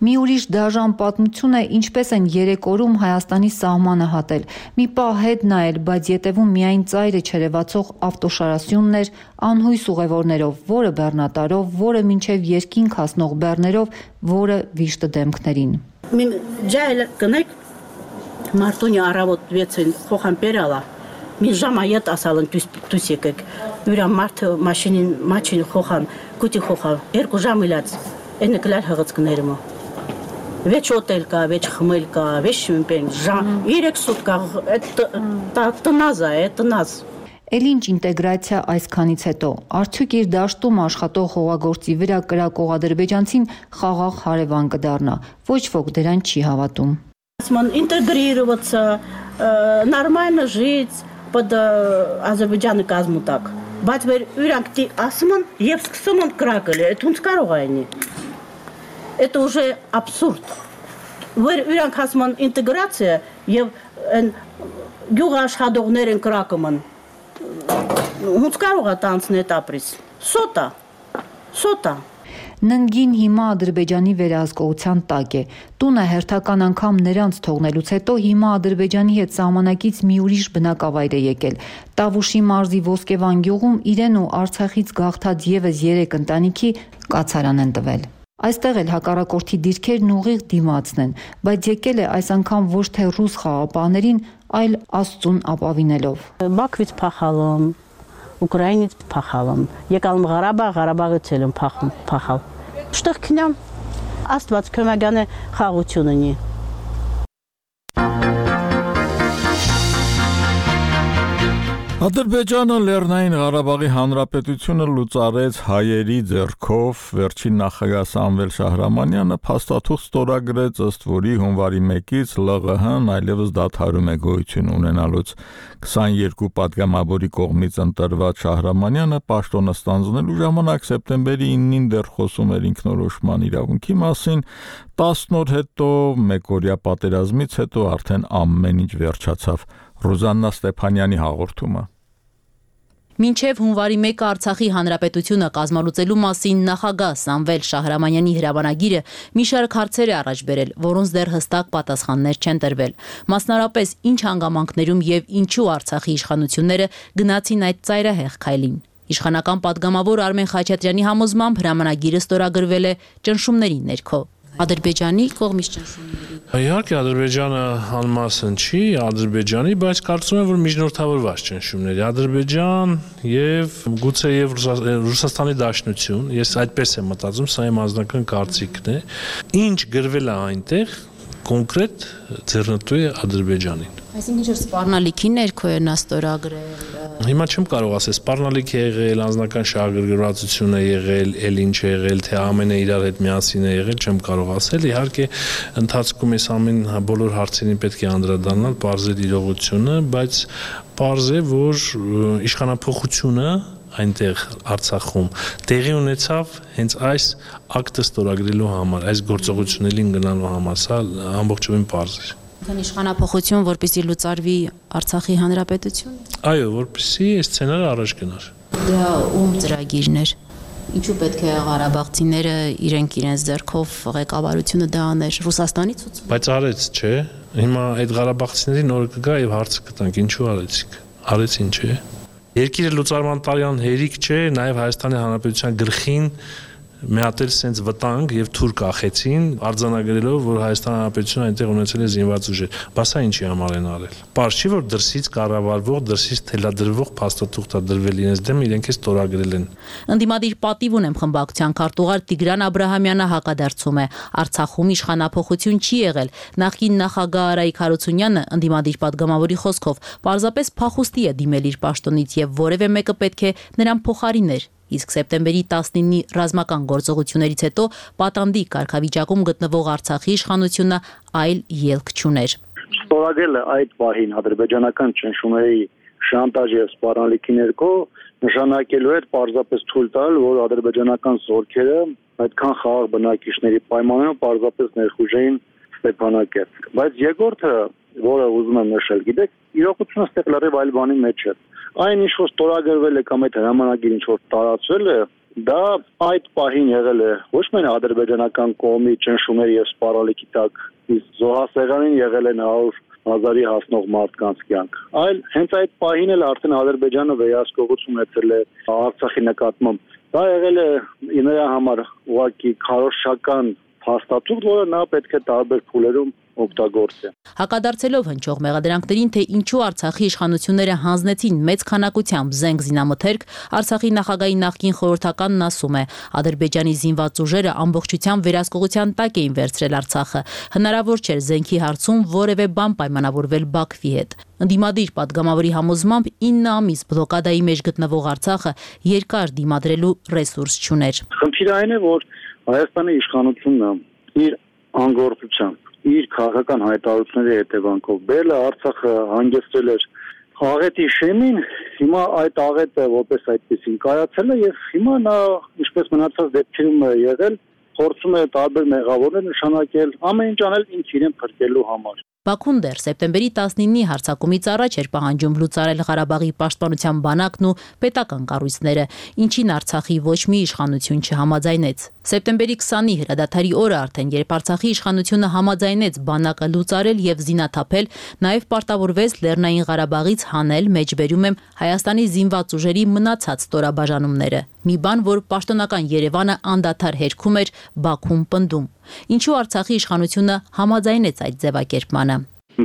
Մի ուրիշ դաժան պատմություն է, ինչպես են 3 օրում Հայաստանի սահմանը հատել։ Մի պահ հետ նայել, բայց ետևում միայն ծայրը չերևացող ավտոշարասյունն էր, անհույս ուղևորներով, որը բեռնատարով, որը մինչև երկինք հասնող բեռներով, որը վիշտը դեմքներին։ Մին ջայլ կնեք մարտունի առավոտ 6-ին խոխան պերալա։ Մի ժամայet ասալն դուս եկեք։ Ուրա մարդ մաշին խոխան, կուտի խոխա, 2 ժամ իլած։ Էնը կլալ հղծկներում։ Վեչ օտել կա, վեչ խմել կա, վեչ շիմպեն, 3 սուտկա, տնազ է, տնազ։ Էլ ինչ ինտեգրացիա այսքանից հետո, արդյոք իր դաշտում աշխատող հողագործի վրա կրակող ադրբեջանցին խաղաղ հարևան կդառնա, ոչ ոք դրան չի հավատում։ Ասման ինտեգրироваться, нормально жить под Ադրբեջանի կազմու տակ։ Բայց վեր ուրանք ասում են եւ սկսում են կրակել, այդ ոնց կարող է այնի։ Это уже абсурд. Վեր ուրանք ասում են ինտեգրացիա եւ գյուղաշխատողներն կրակում են։ Ոնց կարող է տանցնել ապրիս։ Սոտա։ Ննգին հիմա Ադրբեջանի վերահսկողության տակ է։ Տունը հերթական անգամ նրանց թողնելուց հետո հիմա Ադրբեջանի հետ սահմանակից մի ուրիշ բնակավայր է եկել։ Տավուշի մարզի Ոսկեվան գյուղում իրեն ու Արցախից գաղթած եւս 3 ընտանիքի կացարան են տվել։ Այստեղ էլ հակառակորդի դիրքերն ուղիղ դիմացն են, բայց եկել է այս անգամ ոչ թե ռուս խաղապահներին, այլ Աստծուն ապավինելով։ Բաքվից փախալım, Ուկրաինից փախալım, եկալım Ղարաբաղից եմ փախալ։ Շտեղ քնամ Աստված կոմագանը խաղություն ունի։ Ադրբեջանը Լեռնային Ղարաբաղի Հանրապետությունը լուծարեց հայերի ձեռքով, վերջին նախագահ Սամվել Շահրամանյանը փաստաթուղթ ստորագրեց, ըստ որի հունվարի 1-ից ԼՂՀ-ն այլևս դադարում է գոյություն ունենալուց 22 պատգամավորի կողմից ընտրված Շահրամանյանը պաշտոնը ստանձնելու ժամանակ սեպտեմբերի 9-ին դեռ խոսում էր ինքնորոշման իրավունքի մասին, 10 օր հետո մեկօրյա պատերազմից հետո արդեն ամեն ինչ վերջացավ։ Ռուզաննա Ստեփանյանի հաղորդումը։ Մինչև հունվարի 1-ը Արցախի հանրապետությունը կազմալուծելու մասին նախագահ Սամվել Շահրամանյանի հրամանագիրը մի շարք հարցեր է առաջ բերել, որոնց դեռ հստակ պատասխաններ չեն տրվել։ Մասնարապես ինչ հանգամանքներում եւ ինչու Արցախի իշխանությունները գնացին այդ ծայրահեղ քայլին։ Իշխանական պատգամավոր Արմեն Խաչատրյանի համոզմամբ հրամանագիրը ստորագրվել է ճնշումների ներքո։ Ադրբեջանի կողմից ճնշումների։ Իհարկե Ադրբեջանը անմասն չի Ադրբեջանի, բայց կարծում եմ, որ միջնորդավորված ճնշումների Ադրբեջան եւ գուցե եւ Ռուսաստանի Դաշնություն, ես այդպես եմ մտածում, սա իմ անձնական կարծիքն է, ինչ գրվել է այնտեղ կոնկրետ ձեռնտու է Ադրբեջանին։ Այսինքն ինչ սպառնալիքի ներքո է նա ստորագրել։ Հիմա չեմ կարող ասել, սպառնալիք է եղել, անձնական շահագրգռվածություն է եղել, էլ ինչ է եղել, թե ամենը իրար հետ միասին է եղել, չեմ կարող ասել։ Իհարկե, ընթացքում այս ամեն բոլոր հարցերին պետք է անդրադառնալ, բարձր իրողությունը, բայց բարձ է, որ իշխանափոխությունը այնտեղ Արցախում տեղի ունեցավ հենց այս ակտը ստորագրելու համար, այս գործողություններին գնալու համար, սա ամբողջովին բարձ է։ Իշխանափոխություն, որպեսզի լուծարվի Արցախի հանրապետությունը։ Այո, որպեսզի այս սցենարը առաջ գնար։ Դա ում ծրագիրն էր։ Ինչու պետք է ղարաբաղցիները իրենց ձեռքով ղեկավարությունը դա աներ Ռուսաստանի ցուցում։ Բայց արեց, չէ։ Հիմա այդ ղարաբաղցիների նորը կգա եւ հարցը կտանք, ինչու արեցիք։ Արեցին, չէ։ Երկիրը լուծարման տարյան հերիք չէ, նաեւ Հայաստանի Հանրապետության գլխին մեհատել սենց վտանգ եւ թուր կախեցին, արձանագրելով, որ Հայաստան Հանրապետությունը այնտեղ ունեցել է զինված ուժեր։ Բա սա ինչի համար են արել։ Պարզ չի, որ դրսից կառավարվող, դրսից թելադրվող փաստաթուղթ է դրվել իրենց դեմ, իրենք է ստորագրել են։ Ընդդիմադիր պատիվ ունեմ խմբակցության քարտուղար Տիգրան Աբրահամյանը հակադարձում է։ Արցախում իշխանափոխություն չի եղել։ Նախկին նախագահ Արայիկ Հարությունյանը ընդդիմադիր պատգամավորի խոսքով պարզապես փախուստի է դիմել իր պաշտոնից եւ որևէ մեկը պետք է նրան փոխարիներ։ Իսկ սեպտեմբերի 19-ի ռազմական գործողություններից հետո պատանդի կարգավիճակում գտնվող Արցախի իշխանությունը այլ ելք չուներ։ Ստորագրել է այդ պահին ադրբեջանական ճնշումների շանտաժ եւ սպառնալիքի ներքո նշանակելու էր պարզապես թույլ տալ, որ ադրբեջանական զորքերը այդքան խաղաղ բնակիչների պայմաններով պարզապես ներխուժեին Ստեփանակերտ։ Բայց երկրորդը, որը ուզում եմ նշել, գիտեք, իրողությունը ստեղ լրիվ այլ բանի մեջ է։ Այն ինչ որ ստորագրվել է կամ այդ հրամանագիրը ինչ որ տարածվել է, դա այդ պահին եղել է ոչ միայն ադրբեջանական կողմի ճնշումների եւ սպառնալիքի տակ, իսկ զոհասեղանին եղել են 100,000-ի հասնող մարդկանց կյանք, այլ հենց այդ պահին էլ արդեն Ադրբեջանը վերահսկողություն ունեցել է Արցախի նկատմամբ։ Դա եղել է նրա համար ուղղակի քարոզչական փաստաթուղթ, որը նա պետք է տարբեր փուլերում օգտագործի։ Հակադարձելով հնչող մեղադրանքներին, թե ինչու Արցախի իշխանությունները հանձնեցին մեծ քանակությամբ զենք զինամթերք, Արցախի նախագահի նախկին խորհրդականն ասում է, Ադրբեջանի զինված ուժերը ամբողջությամբ վերահսկողության տակ էին վերցրել Արցախը։ Հնարավոր չէր զենքի հարցում որևէ բան պայմանավորվել Բաքվի հետ։ Ընդդիմադիր պատգամավորի համոզմամբ 9 ամիս բլոկադայի մեջ գտնվող Արցախը երկար դիմադրելու ռեսուրս չուներ։ Խնդիրը այն է, որ Հայաստանի իշխանությունը իր անգործությամբ իր քաղաքական հայտարարությունների հետևանքով բերել Արցախը հանգեցրել էր աղետի շեմին, հիմա այդ աղետը որպես այդպեսին կայացել է եւ հիմա նա ինչպես մնացած դեպքերում է եղել, փորձում է տարբեր մեղավորներ նշանակել, ամեն ինչ անել ինքն իրեն փրկելու համար։ Բաքուն դեռ սեպտեմբերի 19-ի հարձակումից առաջ էր պահանջում լուծարել Ղարաբաղի պաշտպանության բանակն ու պետական կառույցները, ինչին Արցախի ոչ մի իշխանություն չհամաձայնեց։ Սեպտեմբերի 20-ի հրադադարի օրը արդեն, երբ Արցախի իշխանությունը համաձայնեց բանակը լուծարել եւ զինաթափել, նաեւ պարտավորվեց Լեռնային Ղարաբաղից հանել, մեջբերում եմ, Հայաստանի զինված ուժերի մնացած ստորաբաժանումները։ Մի բան, որ պաշտոնական Երևանը անդադար հերքում էր, Բաքուն պնդում։ Ինչու Արցախի իշխանությունը համաձայնեց այդ ձևակերպմանը։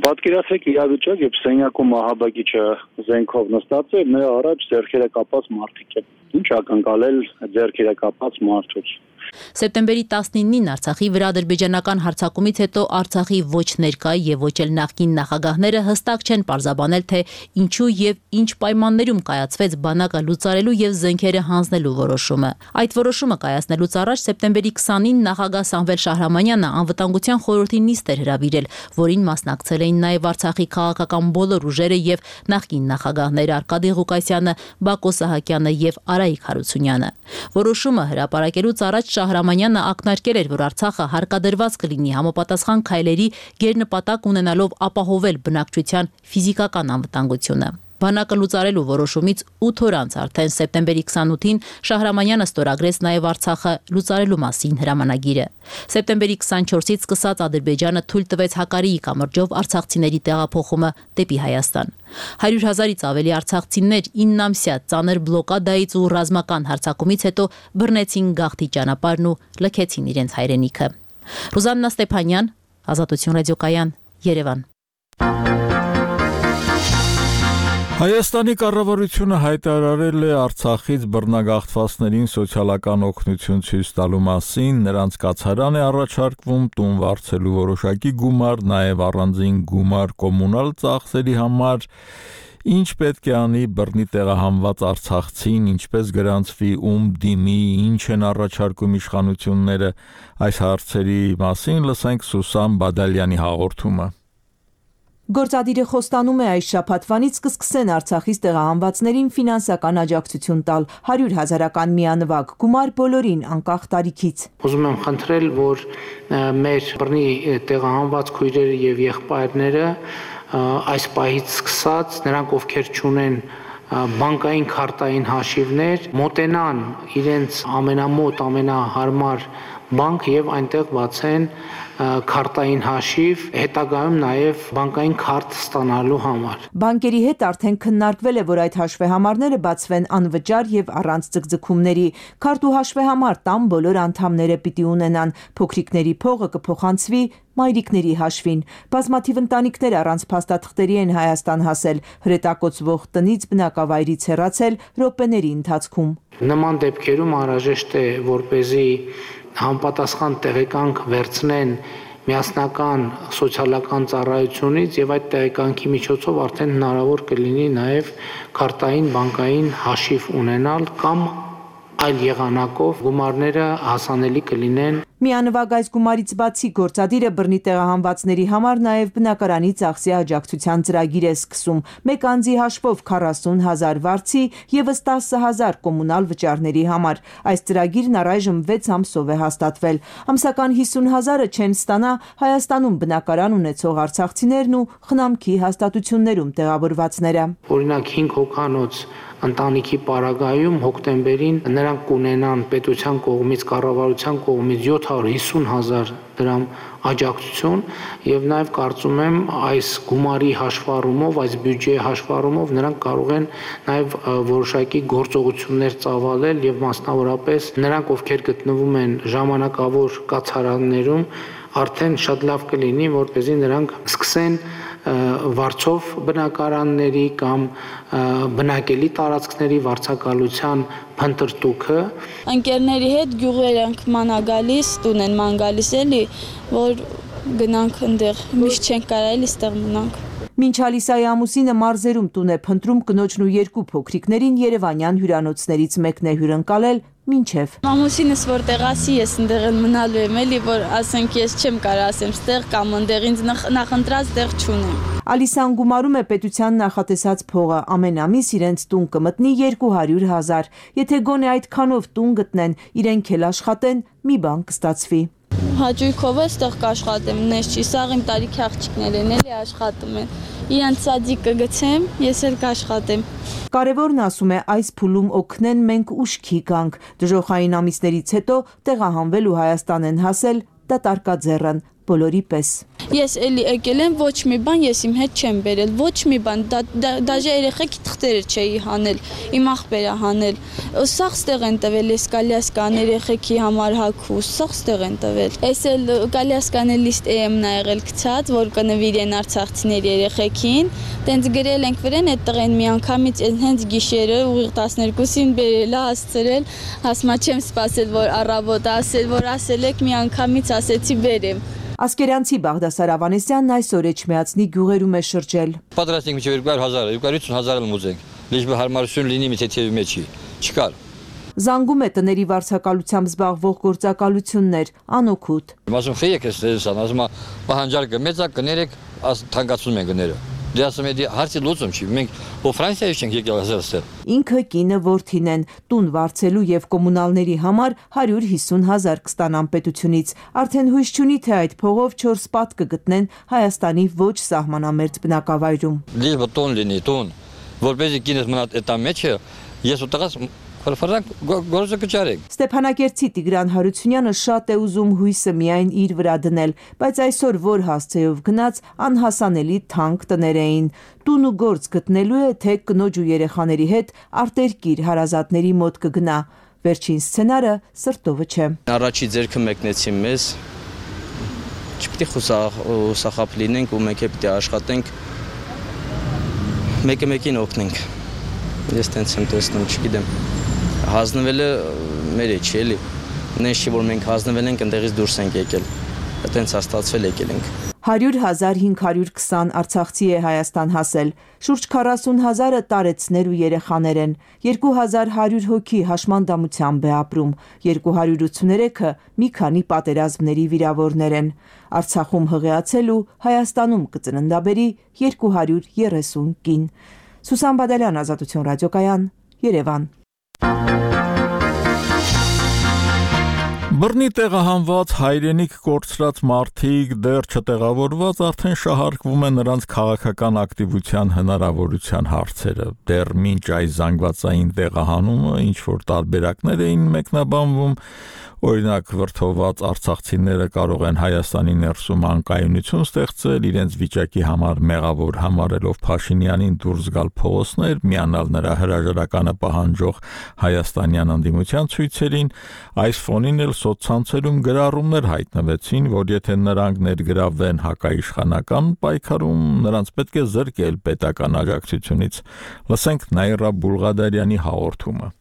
Պատկերացրեք իրավիճակ, երբ սենյակում ահաբեկիչը զենքով նստած է, նրա առաջ ձեռքերը կապած մարդիկ են։ Ինչ ակնկալել ձեռքերը կապած մարդուց։ Սեպտեմբերի 19-ին Արցախի վրա ադրբեջանական հարձակումից հետո Արցախի ոչ ներկա եւ ոչ էլ նախկին նախագահները հստակ չեն պարզաբանել, թե ինչու եւ ինչ պայմաններում կայացվեց բանակը լուծարելու եւ զենքերը հանձնելու որոշումը։ Այդ որոշումը կայացնելուց առաջ սեպտեմբերի 20-ին նախագահ Սամվել Շահրամանյանը անվտանգության խորհրդի նիստ էր հրավիրել, որին մասնակցել էին նաեւ Արցախի քաղաքական բոլոր ուժերը եւ նախկին նախագահներ Արկադի Ղուկասյանը, Բակո Սահակյանը եւ Արայիկ Հարությունյանը։ Որոշումը հրապարակելուց առաջ Շահրամանյանը ակնարկել էր, որ Արցախը հարկադրված կլինի համապատասխան քայլերի գերնպատակ ունենալով ապահովել բնակչության ֆիզիկական անվտանգությունը։ Բանակը լուծարելու որոշումից 8 օր անց արդեն սեպտեմբերի 28-ին Շահրամանյանը ստորագրեց նաև Արցախը լուծարելու մասին հրամանագիրը։ Սեպտեմբերի 24-ից սկսած Ադրբեջանը թույլ տվեց Հակարիի կամրջով արցախցիների տեղափոխումը դեպի Հայաստան։ 100,000-ից ավելի արցախցիներ 9 ամսյա ծանր բլոկադայից ու ռազմական հարձակումից հետո բռնեցին գաղթի ճանապարհն ու լքեցին իրենց հայրենիքը։ Ռուզաննա Ստեփանյան, Ազատություն ռադիոկայան, Երևան։ Հայաստանի կառավարությունը հայտարարել է Արցախից բռնագաղթվածներին սոցիալական օգնություն ցույց տալու մասին, նրանց կացարան է առաջարկվում տուն վարձելու որոշակի գումար, նաև առանձին գումար կոմունալ ծախսերի համար, ինչ պետք է անի բռնի տեղահանված արցախցին, ինչպես գրանցվի, ում դիմի, ինչ են առաջարկում իշխանությունները, այս հարցերի մասին լսենք Սուսան Բադալյանի հաղորդումը։ Գործադիրը խոստանում է այս շաբաթվանից կսկսեն Արցախից տեղահանվածներին ֆինանսական աջակցություն տալ 100,000-ական միանվագ գումար բոլորին անկախ տարիքից։ Ուզում եմ խնդրել, որ մեր բռնի տեղահանված քույրերը եւ եղբայրները այս պահից սկսած նրանք ովքեր չունեն բանկային քարտային հաշիվներ մոտենան իրենց ամենամոտ ամենահարմար բանկ եւ այնտեղ բացեն քարտային հաշիվ, հետագայում նաև բանկային քարտ ստանալու համար։ Բանկերի հետ արդեն քննարկվել է, որ այդ հաշվեհամարները բացվեն անվճար եւ առանց ձգձգումների։ Քարտ ու հաշվեհամար տան բոլոր անդամները պիտի ունենան, փոքրիկների փողը կփոխանցվի մայրիկների հաշվին։ Բազմաթիվ ընտանիքներ առանց փաստաթղթերի են Հայաստան հասել, հրետակոծվող տնից բնակավայրից հեռացել րոպեների ընթացքում։ Նման դեպքերում անհրաժեշտ է, որպեսզի համապատասխան տեղեկանք վերցնեն միասնական սոցիալական ծառայությունից եւ այդ տեղեկանքի միջոցով արդեն հնարավոր կլինի նաեւ քարտային բանկային հաշիվ ունենալ կամ այլ եղանակով գումարները հասանելի կլինեն։ Միանվագ այս գումարից բացի գործադիրը բռնի տեղահանվածների համար նաև բնակարանի ծախսի աջակցության ծրագիր է սկսում։ Մեկ անձի հաշվով 40,000 վարձի եւս 10,000 կոմունալ վճարների համար։ Այս ծրագիրն առայժմ 6 ամսով է հաստատվել։ Ամսական 50,000-ը չեն ստանա Հայաստանում բնակարան ունեցող արցախցիներն ու խնամքի հաստատություններում տեղավորվածները։ Օրինակ 5 հոգանոց ընտանիքի պարագայում հոկտեմբերին նրանք կունենան պետության կողմից, կառավարության կողմից 750,000 դրամ աջակցություն եւ նաեւ կարծում եմ այս գումարի հաշվառումով, այս բյուջեի հաշվառումով նրանք կարող են նաեւ որոշակի գործողություններ ծավալել եւ մասնավորապես նրանք, ովքեր գտնվում են ժամանակավոր կացարաններում, արդեն շատ լավ կլինի, որպեսզի նրանք սկսեն վարձով բնակարանների կամ բնակելի տարածքների վարձակալության փնտրտուքը։ Ընկերների հետ գյուղեր ենք մանա գալիս, տուն են ման գալիս էլի, որ գնանք այնտեղ, միշտ չենք կարա էլի ստեղ մնանք։ Մինչ Ալիսայի ամուսինը մարզերում տուն է փնտրում, կնոջն ու երկու փոքրիկներին երևանյան հյուրանոցներից մեկն է հյուրընկալել մինչև։ Ամուսինս որտեղ ասի, ես այնտեղ մնալու եմ էլի, որ ասենք ես չեմ կարող ասեմ ստեղ կամ այնտեղ ինձ նախընտրած տեղ չունեմ։ Ալիսան գումարում է պետության նախատեսած փողը, ամեն ամիս իրենց տուն կմտնի 200,000։ Եթե գոնե այդքանով տուն գտնեն, իրենք էլ աշխատեն, մի բան կստացվի։ Հաճույքով էստեղ կաշխատեմ, նես չի, սաղ իմ տարիքի աղջիկներ են էլի աշխատում են։ Իրանց սադիկ կգցեմ, ես էլ կաշխատեմ։ Կարևորն ասում է այս փուլում օգնեն մենք ուշքի գանք։ Դժոխային ամիսներից հետո տեղահանվել ու Հայաստան են հասել դատարկաձեռն բոլորի պես։ Ես էլի եկել եմ, ոչ մի բան ես իմ հետ չեմ բերել, ոչ մի բան, դաժե երեխեքի թղթերը չէի հանել, իմ աղբերա հանել։ Սաղ ստեղ են տվել, ես կալյասկան երեխեքի համար հագու, սաղ ստեղ են տվել։ Ես էլ կալյասկանը լիստ եմ նայել գցած, որ կնվիրեն արցախցիների երեխեքին, տենց գրել ենք վրան այդ տղեն մի անգամից հենց գիշերը ուղիղ 12-ին բերել, հասցրել, հասմա չեմ սպասել, որ առավոտ ասել, որ ասել եք մի անգամից ասեցի բերեմ։ Ասկերյանցի Բաղդասար Ավանեսյանն այսօր Էջմիածնի գյուղերում է շրջել։ Պատրաստ ենք մինչև 200,000, 250,000 ուզենք, լիճ հարմարություն լինի մի թեթևի մեջի, չկար։ Զանգում է տների վարձակալությամբ զբաղվող գործակալություններ, անօգուտ։ Ասում խեյեք ես տեսան, ասում պահանջարկը մեծ է, կներեք, թանկացնում են գները։ Դե ասում եմ, հարցի լուծում չի, մենք Ֆրանսիայից չենք եկել ասել։ Ինքը կինը որդին են, տուն վարձելու եւ կոմունալների համար 150,000 կստանան պետությունից։ Արդեն հույս չունի, թե այդ փողով 4 սպատ կգտնեն Հայաստանի ոչ սահմանամերձ բնակավայրում։ Լիճ տուն լինի, տուն, որպեսզի կինս մնա այդ մեջը, ես ուտղած գործը կճարեք։ Ստեփանակերտցի Տիգրան Հարությունյանը շատ է ուզում հույսը միայն իր վրա դնել, բայց այսօր որ հասցեով գնաց անհասանելի թանկ տներ էին։ Տուն ու գործ գտնելու է, թե կնոջ ու երեխաների հետ արտերկիր հարազատների մոտ կգնա։ Վերջին սցենարը սրտովը չէ։ Առաջի ձերքը մեկնեցին մեզ։ Չպետք է խուսախապ լինենք ու մեկ է պետք է աշխատենք։ Մեկը մեկին օգնենք։ Ես տենց եմ տեսնում, չգիտեմ։ Հանձնվելը մեր է չի էլի։ Նենց չի, որ մենք հանձնվել ենք, ընդեղից դուրս ենք եկել։ Այդտենց հաստատվել եկել ենք։ 100,520 արցախցի է Հայաստան հասել։ Շուրջ 40,000-ը տարեցներ ու երեխաներ են։ 2100 հոգի հաշմանդամությամբ է ապրում։ 283-ը մի քանի պատերազմների վիրավորներ են։ Արցախում հղիացել ու Հայաստանում կծննդաբերի 230 կին։ Սուսան Բադալյան, Ազատություն ռադիոկայան, Երևան։ Բռնի տեղահանված հայրենիք կորցրած մարդիկ դեռ չտեղավորված արդեն շահարկվում է նրանց քաղաքական ակտիվության հնարավորության հարցերը։ Դեռ մինչ այս զանգվածային տեղահանումը ինչ-որ տարբերակներ էին մեկնաբանվում, օրինակ վրդովված արցախցիները կարող են Հայաստանի ներսում անկայունություն ստեղծել, իրենց վիճակի համար մեղավոր համարելով Փաշինյանին դուրս գալ փողոցներ, միանալ նրա հրաժարականը պահանջող հայաստանյան անդիմության ցույցերին, այս ֆոնին էլ սոցցանցերում գրառումներ հայտնվեցին, որ եթե նրանք ներգրավվեն հակաիշխանական պայքարում, նրանց պետք է զրկել պետական աջակցությունից։ Լսենք Նաիրա Բուլղադարյանի հաղորդումը։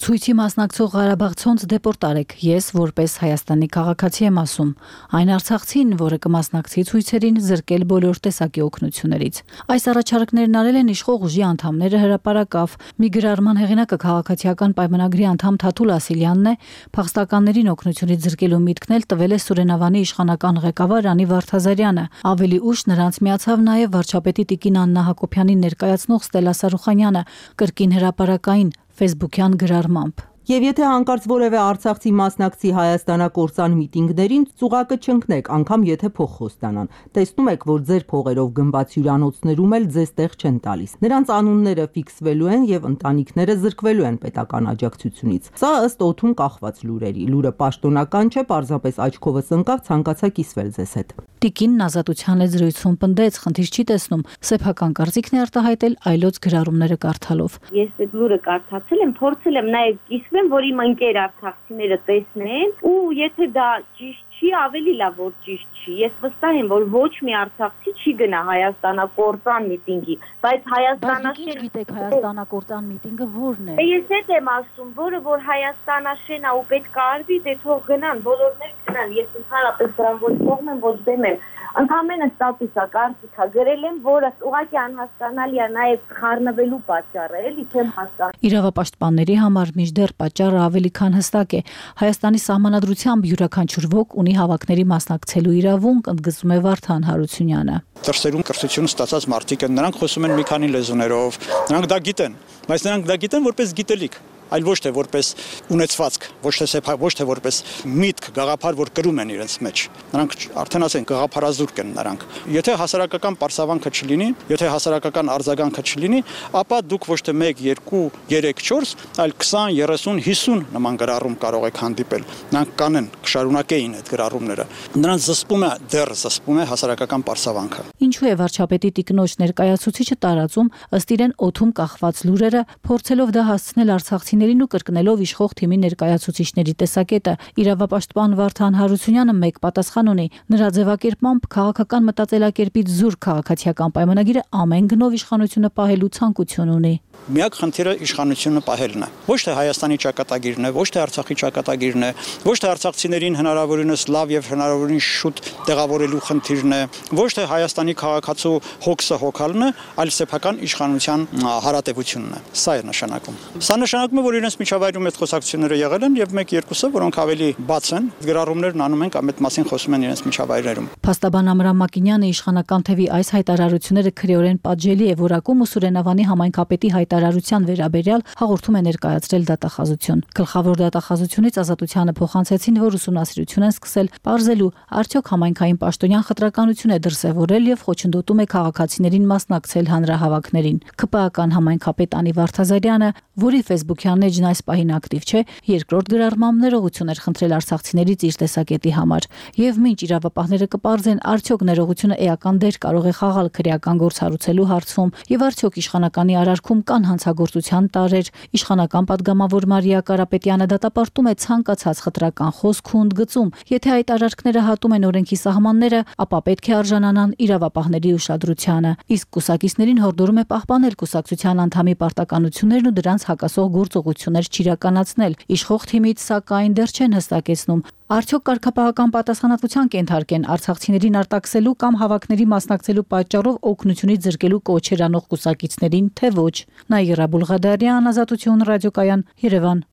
Ցույցի մասնակցող Ղարաբաղցոնց դեպորտ արեք, ես որպես Հայաստանի քաղաքացի եմ ասում, այն արցախցին, որը կմասնակցի ցույցերին, զրկել բոլոր տեսակի օգնություններից։ Այս առաջարկներն արել են իշխող ուժի անդամները հրապարակավ։ Մի գրառման հեղինակը քաղաքացիական պայմանագրի անդամ Թաթուլ Ասիլյանն է, փախստականներին օգնությունից զրկելու միտքն էլ տվել է Սուրենավանի իշխանական ղեկավար Անի Վարդազարյանը։ Ավելի ուշ նրանց միացավ նաև վարչապետի Տիկին Աննա Հակոբյանին ներկայացնող Ստելա Սարուխանյանը, կրկին հրապարակային Facebook-յան գրառմամբ։ Եվ եթե հանկարծ որևէ արցախցի մասնակցի հայաստանակործան միտինգներին, ծուղակը չընկնեք, անգամ եթե փող խոստանան։ Տեսնում եք, որ ձեր փողերով գնված հյուրանոցներում էլ ձեզ տեղ չեն տալիս։ Նրանց անունները ֆիքսվելու են եւ ընտանիքները զրկվելու են պետական աջակցությունից։ Սա ըստ օդում կախված լուրերի։ Լուրը պաշտոնական չէ, պարզապես աչքովս ընկավ, ցանկացա կիսվել ձեզ հետ։ Տիկինն Ազատության լեզրույթում պնդեց, խնդիր չի տեսնում, սեփական կարծիքն է արտահայտել այլոց գրառումները կարդալով։ Ես այդ լուրը կարդացել եմ, փորձել եմ նաև կիսվեմ, որ իմ ընկեր արցախցիները տեսնեն, ու եթե դա ճիշտ չի, ավելի լավ որ ճիշտ չի։ Ես վստահ եմ, որ ոչ մի արցախցի չի գնա հայաստանակործան միտինգի, բայց հայաստանաշեն գիտեք հայաստանակործան միտինգը որն է։ Ես հետ եմ ասում, որը որ հայաստանաշեն է ու պետք է արվի, դե թող գնան, բոլորներ գնան։ Ես ընդհանրապես դրան ոչ կողմ եմ, ոչ դեմ եմ։ Ընդհանրապես ստատուսա, կարծիքա գրել եմ, որը ուղղակի անհասկանալի է նաև խառնվելու պատճառը, էլի չեմ հասկանում։ Իրավապաշտպանների համար մինչդեռ պատճառը ավելի քան հստակ է։ Հայաստանի սահմանադրությամբ յուրաքանչյուր ոք ունի հավաքների մասնակցելու իրավունք, ընդգծում է Վարդան Հարությունյանը։ Դրսերում կրթություն ստացած մարդիկ են, նրանք խոսում են մի քանի լեզուներով, նրանք դա գիտեն, բայց նրանք դա գիտեն որպես գիտելիք։ այլ ոչ թե որպես ունեցվածք, ոչ թե որպես միտք, գաղափար, որ կրում են իրենց մեջ։ Նրանք արդեն ասեն գաղափարազուրկ են նրանք։ Եթե հասարակական պարսավանքը չլինի, եթե հասարակական արձագանքը չլինի, ապա դուք ոչ թե 1, 2, 3, 4, այլ 20, 30, 50 նման գրառում կարող եք հանդիպել։ Նրանք կանեն, կշարունակեին այդ գրառումները։ Նրանց զսպում է հասարակական պարսավանքը։ Ինչու է վարչապետի տիկնոջ ներկայացուցիչը տարածում ըստ իրեն օդում կախված լուրերը, փորձելով դա հասցնել արցախցիներին ու կրկնելով իշխող թիմի ներկայացուցիչների տեսակետը։ Իրավապաշտպան Վարդան Հարությունյանը մեկ պատասխան ունի. նրա ձևակերպմամբ քաղաքական մտածելակերպից զուրկ քաղաքացիական պայմանագիրը ամեն գնով իշխանությունը պահելու ցանկություն ունի։ Միակ խնդիրը իշխանությունը պահելն է։ Ոչ թե Հայաստանի ճակատագիրն է, ոչ թե Արցախի ճակատագիրն է, ոչ թե արցախցիներին հնարավորինս լավ եւ հնարավորինս շուտ տեղավորելու խնդիրն է, ոչ թե Հայաստանի քաղաքացու հոգսը հոգալն է, այլ սեփական իշխանության հարատևությունն է։ Սա է նշանակում։ Սա նշանակում է, որ իրենց միջավայրում այդ խոսակցությունները եղել են եւ 1-2-ը, որոնք ավելի բաց են, գրառումներն անում են կամ այդ մասին խոսում են իրենց միջավայրերում։ Փաստաբան Ամրամ Մակինյանը իշխանական թևի այս հայտարարությունները քրեորեն պատժելի է որակում ու Սուրենավանի համայնքապետի հայտարարության վերաբերյալ հաղորդում է ներկայացրել դատախազություն։ Գլխավոր դատախազությունից Ազատությանը փոխանցեցին, որ ուսումնասիրություն են սկսել պարզելու արդյոք համայնքային պաշտոնյան խտրականություն է դրսևորել եւ խոչընդոտում է քաղաքացիներին մասնակցել հանրահավաքներին։ ԿՊԱ-ական համայնքապետ Անի Վարդազարյանը, որի Facebook-յան էջն այս պահին ակտիվ չէ, երկրորդ գրառմամբ ներողություն էր խնդրել արցախցիներից իր տեսակետի համար։ Եվ մինչ իրավապահները կպարզեն, արդյոք ներողությունը էական դեր կարող է խաղալ քրեական գործ հարուցելու հարցում եւ արդյոք իշխանականի արարքում կան հանցագործության տարրեր, իշխանական падգամավոր Մարիա Կարապետյանը դատապարտում է ցանկացած խտրական խոսք ու ընդգծում։ Եթե այդ արարքները հատում են օրենքի սահմանները, ապա պետք է արժանանան իրավապահների ուշադրությանը։ Իսկ կուսակիցներին հորդորում է պահպանել կուսակցության անդամի պարտականություններն ու դրանց հակասող գործողություններ չիրականացնել։ Իշխող թիմից սակայն դեռ չեն հստակեցնում, արդյոք կարգապահական պատասխանատվության կենթարկեն արցախցիներին արտաքսելու կամ հավաքների մասնակցելու պատճառով օգնությունից զրկելու կոչեր անող կուսակիցներին, թե ոչ։ Նաիրա Բուլղադարյան, Ազատություն, ռադիոկայան, Երևան։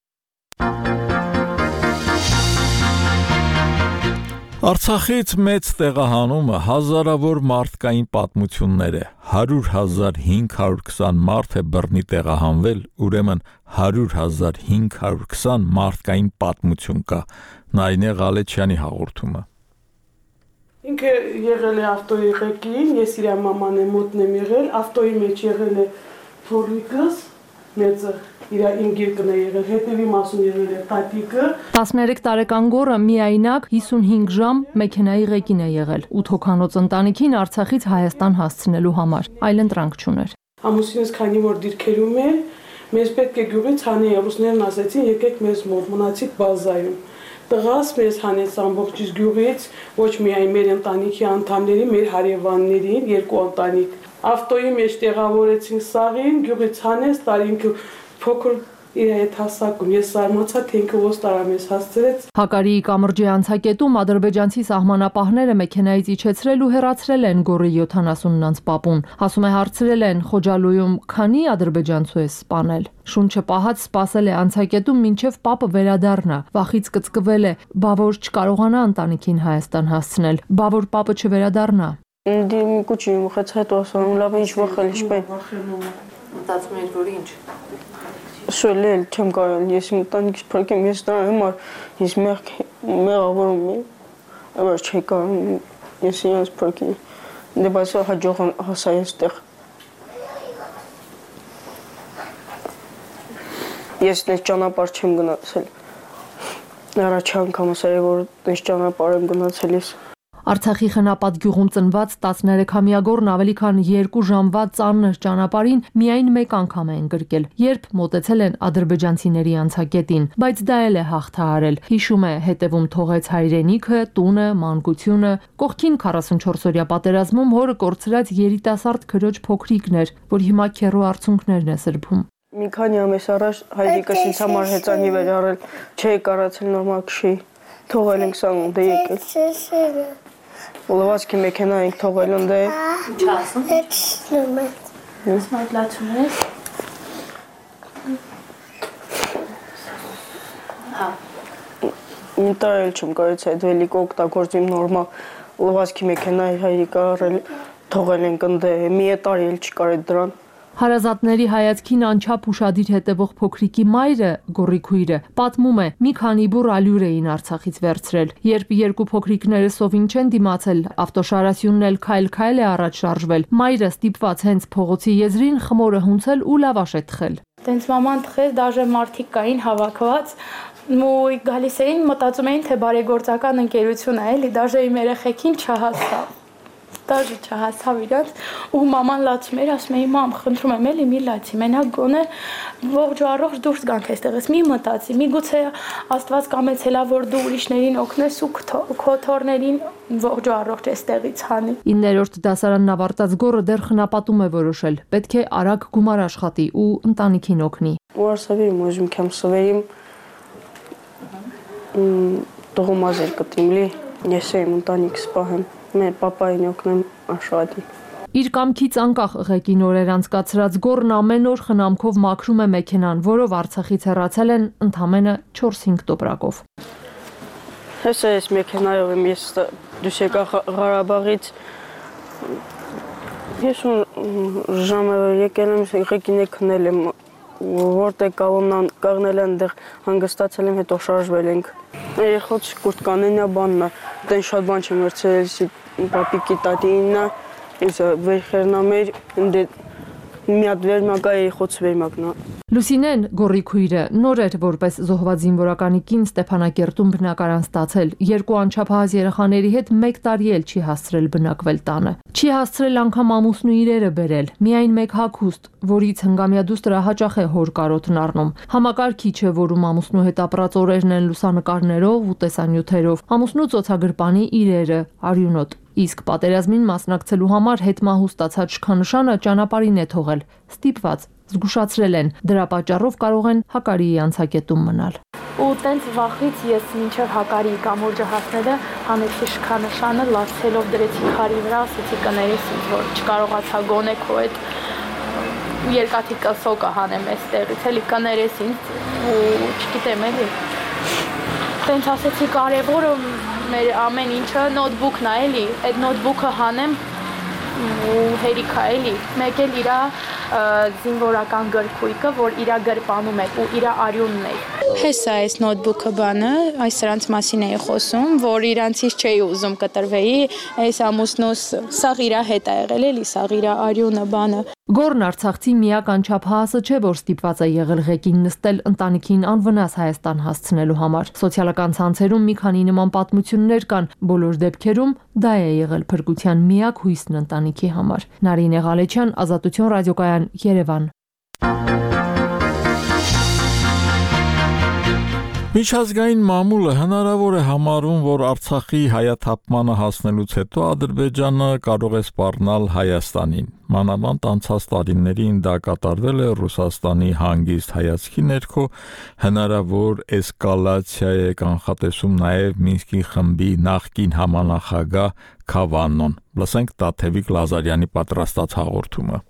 Արցախից մեծ տեղահանումը հազարավոր մարդկային պատմություններ է։ 100,520 մարդ է բռնի տեղահանվել, ուրեմն 100,520 մարդկային պատմություն կա։ Նայինե Ղալեչյանի հաղորդումը։ Ինքը եղել է ավտոյի ղեկին, ես իր մաման մոտն եմ եղել, ավտոյի մեջ եղել է փորիկս, մեծը իր ինգիրկն է եղել, հետևի մասում եղել է տատիկը։ 13 տարեկան գոռը միայնակ 55 ժամ մեքենայի ղեկին է եղել 8 հոգանոց ընտանիքին Արցախից Հայաստան հասցնելու համար, այլ ընտրանք չուներ։ Ամուսինս քանի որ դիրքերում էր, մեզ պետք է գյուղից հանեին, ռուսներն ասեցին եկեք մեզ մոտ, մնացիք բազայում։ Տղաս մեզ հանեց ամբողջ գյուղից, ոչ միայն մեր ընտանիքի անդամներին, մեր հարևաններին, երկու ընտանիք։ Ավտոյի մեջ տեղավորեցին սաղին, գյուղից հանեց, տարինքը փոքր իր հետ հասակում, ես զարմացա, թե ինքը ոնց տարամես հասցրեց։ Հակարիի կամրջի անցակետում ադրբեջանցի սահմանապահները մեքենայից իջեցրել ու հեռացրել են գոռի 70-անց պապուն։ Ասում է հարցրել են Խոջալույում քանի ադրբեջանցու է սպանել։ Շունչը պահած սպասել է անցակետում մինչև պապը վերադառնա։ Վախից կծկվել է, բա որ չկարողանա ընտանիքին Հայաստան հասցնել, բա որ պապը չվերադառնա։ Դիմի կուչի մխեց հետո ասում լավ ինչ վախել ինչպես։ Մտածում էր որ ինչ։ Շուլել չեմ կարող, ես մտանքից փրկեմ, ես դա համար ես մեղավորում եմ, aber չի կարող, ես ինձ փրկեմ, դե բայց հաջող հասա այստեղ։ Ես դες ճանապարհ չեմ գնացել, առաջ անգամ ասել որ դες ճանապարհ եմ գնացել ես։ Արցախի խնապատ գյուղում ծնված 13-ամյա գոռն ավելի քան 2 ժամվա ծանր ճանապարհին միայն մեկ անգամ է ընկրկել, երբ մոտեցել են ադրբեջանցիների անցակետին, բայց դա էլ է հաղթահարել։ Հիշում է, հետևում թողեց հայրենիքը, տունը, մանկությունը, կողքին 44-օրյա պատերազմում հորը կորցրած երիտասարդ քրոջ փոքրիկներ, որ հիմա քեռու արցունքներն է սրբում։ Մի քանի ամիս առաջ հայրիկս ինձ համար հեծանի վեր առել, չէի կարացել նորմալ քշի, թողել ենք սան ունդե եկել։ Ուլավացքի մեքենա ենք թողել ունդե։ Ինչ ասում։ Հետշնում է։ Սմայլացում ես։ Հա։ Ինտա էլ չեմ կարեց այդ վելիկը օգտագործեմ նորմալ։ Ուլավացքի մեքենա հայրիկը առել, թողել ենք ունդե, մի տարի էլ չկար այդ դրան։ Հարազատների հայացքին անչափ ուշադիր հետևող փոքրիկի մայրը, Գոռիկույրը, պատմում է, մի քանի բուռ ալյուր էին Արցախից վերցրել։ Երբ երկու փոքրիկները սովին չեն դիմացել, ավտոշարասյունն էլ քայլ-քայլ է առաջ շարժվել։ Մայրը ստիպված հենց փողոցի եզրին խմորը հունցել ու լավաշ է թխել։ Տենց մաման թխեց, դաժե մարդիկ կային հավաքված, ու գալիս էին, մտածում էին, թե բարեգործական ընկերություն է, էլի, դաժե իմ երեխեքին չհասավ։ Դաժե չհասավ իրանց, ու մաման լացում էր, ասում էի, մամ, խնդրում եմ, էլի մի լացի, մենակ գոնե ողջ ու առողջ դուրս գանք այստեղից, մի մտածի, միգուցե Աստված կամեցել է, որ դու ուրիշներին օգնես ու քո թոռներին ողջ ու առողջ այստեղից հանի։ 9-րդ դասարանն ավարտած Գոռը դեռ խնապատում է որոշել, պետք է արագ գումար աշխատի ու ընտանիքին օգնի։ Որսավիրում ուզում կամ սովերիմ տողոմազեր կտիմ լի, ես եմ ընտանիքս պահեմ, մեր պապային օգնեմ աշխատի։ Իր կամքից անկախ ղեկին օրեր անցկացրած Գոռն ամեն օր խնամքով մաքրում է մեքենան, որով Արցախից հեռացել են ընդամենը 4-5 տոպրակով։ Հեսա ես մեքենայով եմ, ես դուս եկա Ղարաբաղից, ես ժամը եկել եմ, ղեկին է քնել եմ, որտեղ կավոմնան կաղնել են դեղ հանգստացել եմ, հետո շարժվել ենք։ Երեխոց կուրտկանենա բաննա, տեն շատ բան չեմ վերցրել, պապիկի տատիննա, ես վերխերնա մեր, մի հատ վերմակա երեխոց վերմակնա։ Լուսինեն, Գոռիկույրը, նոր էր որպես զոհված զինվորականի կին Ստեփանակերտում բնակարան ստացել, երկու անչափահաս երեխաների հետ 1 տարի էլ չի հասցրել բնակվել տանը։ Չի հասցրել անգամ ամուսնու իրերը բերել, միայն մեկ հագուստ, որից հնգամյա դուստրը հաճախ է հոր կարոտն առնում։ Համակարգիչ է, որում ամուսնու հետ ապրած օրերն են լուսանկարներով ու տեսանյութերով, ամուսնու ծոցագրպանի իրերը, արյունոտ։ Իսկ պատերազմին մասնակցելու համար հետմահու ստացած շքանշանը ճանապարհին է թողել, ստիպված, զգուշացրել են, դրա պատճառով կարող են Հակարիի անցակետում մնալ։ Ու տենց վախից ես մինչև Հակարիի կամուրջը հասնելը հանեցի շքանշանը, լացելով դրեցի քարի վրա, ասեցի կներես ինձ, որ չկարողացա գոնե քո այդ երկաթի կսոկը հանեմ այստեղից, էլի կներես ինձ ու չգիտեմ էլի։ Տենց ասեցի կարևորը մեր ամեն ինչը նոթբուքն է էլի, այդ նոթբուքը հանեմ ու հերիքա էլի, մեկ էլ իրա զինվորական գրքույկը, որ իրա գրպանում է ու իրա արյունն է։ Հեսա այս նոթբուքը բանը, այս սրանց մասին էի խոսում, որ իրանցից չէի ուզում կտրվեի, այս ամուսնուս սաղ իրա հետ է եղել էլի, սաղ իրա արյունը բանը։ Գոռն Արցախցի միակ անչափահասը չէ, որ ստիպված է եղել ղեկին նստել ընտանիքին անվնաս Հայաստան հասցնելու համար։ Սոցիալական ցանցերում մի քանի նման պատմություններ կան, բոլոր դեպքերում դա է եղել փրկության միակ հույսն ընտանիքի համար։ Նարինե Ղալեչյան, Ազատություն ռադիոկայան, Երևան։ Միջազգային մամուլը հնարավոր է համարում, որ Արցախի հայաթափմանը հասնելուց հետո Ադրբեջանը կարող է սպառնալ Հայաստանին։ Մանավանդ անցած տարիներին դա կատարվել է Ռուսաստանի հանգիստ հայացքի ներքո, հնարավոր էսկալացիա է կանխատեսում նաև Մինսկի խմբի նախկին համանախագահ Քավանոն։ Լսենք Տաթևիկ Լազարյանի պատրաստած հաղորդումը։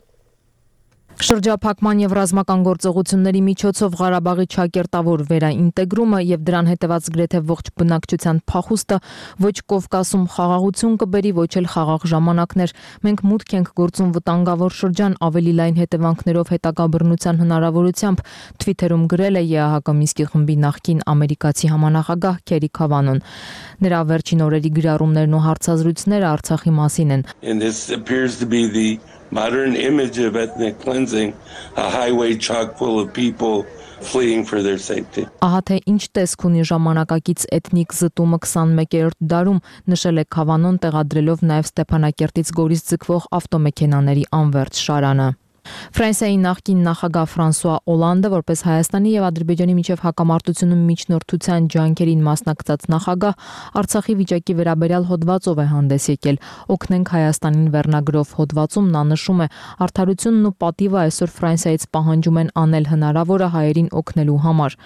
Շրջափակման եւ ռազմական գործողությունների միջոցով Ղարաբաղի ճակերտավոր վերաինտեգրումը եւ դրան հետեւած գրեթե ողջ բնակչության փախուստը ոչ Կովկասում խաղաղություն կբերի, ոչ էլ խաղաղ ժամանակներ։ Մենք մուտք ենք գործում վտանգավոր շրջան ավելի լայն հետևանքներով հետագա բռնության հնարավորությամբ, Twitter-ում գրել է ԵԱՀԿ Մինսկի խմբի նախկին ամերիկացի համանախագահ Քերի Քավանոն։ Նրա վերջին օրերի գրառումներն ու հարցազրույցները Արցախի մասին են։ Modern image of ethnic cleansing, a highway chock full of people fleeing for their safety. Ահա թե ինչ տեսք ունի ժամանակակից էթնիկ զտումը 21-րդ դարում, նշել է Քավանոն, տեղադրելով նաև Ստեփանակերտից Գորիս ձգվող ավտոմեքենաների անվերջ շարանը։ Ֆրանսիայի նախկին նախագահ Ֆրանսուଆ Օլանդը, որպես Հայաստանի եւ Ադրբեջանի միջև հակամարտությունում միջնորդության ջանքերին մասնակցած նախագահ, Արցախի վիճակի վերաբերյալ հոդվածով է հանդես եկել։ Օգնենք Հայաստանին վերնագրով հոդվածում նա նշում է. արդարությունն ու պատիվը այսօր Ֆրանսիայից պահանջում են անել հնարավորը հայերին օգնելու համար։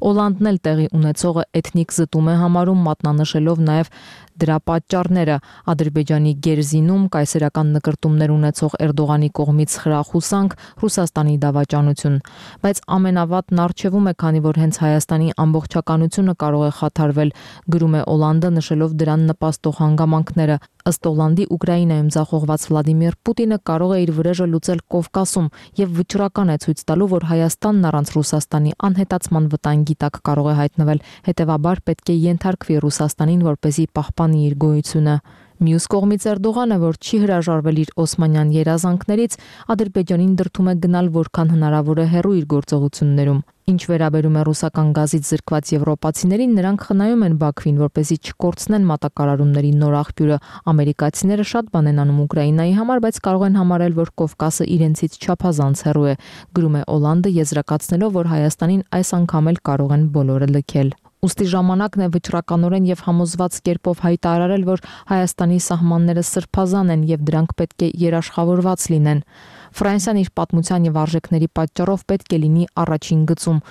Օլանդն էլ տեղի ունեցողը էթնիկ զտում է համարում, մատնանշելով նաև դրա պատճառները՝ Ադրբեջանի գերզինում կայսերական նկրտումներ ունեցող Էրդողանի կողմից խրախուստ հոսանք, Ռուսաստանի դավաճանություն, բայց ամենավատն առջևում է, քանի որ հենց Հայաստանի ամբողջականությունը կարող է խաթարվել, գրում է Օլանդը, նշելով դրան նպաստող հանգամանքները։ Ըստ Օլանդի, Ուկրաինայում ձախողված Վլադիմիր Պուտինը կարող է իր վրեժը լուծել Կովկասում եւ վճռական է ցույց տալու, որ Հայաստանն առանց Ռուսաստանի անհետացման վտանգի տակ կարող է հայտնվել, հետեւաբար պետք է ենթարկվի Ռուսաստանին, որպեսզի պահպանի իր գոյությունը։ Մյուս կողմից Էրդողանը, որ չի հրաժարվել իր օսմանյան երազանքներից, Ադրբեջանին դրդում է գնալ որքան հնարավոր է հեռու իր գործողություններում։ Ինչ վերաբերում է ռուսական գազից զրկված եվրոպացիներին, նրանք խնայում են Բաքվին, որպեսզի չկորցնեն մատակարարումների նոր աղբյուրը։ Ամերիկացիները շատ բան են անում Ուկրաինայի համար, բայց կարող են համարել, որ Կովկասը իրենցից չափազանց հեռու է, գրում է Օլանդը, եզրակացնելով, որ Հայաստանին այս անգամ էլ կարող են բոլորը լքել։ Ուստի ժամանակն է վճռականորեն եւ համոզված կերպով հայտարարել, որ Հայաստանի սահմանները սրբազան են եւ դրանք պետք է երաշխավորված լինեն։ Ֆրանսիան իր պատմության եւ արժեքների պատճառով պետք է լինի առաջին գծում,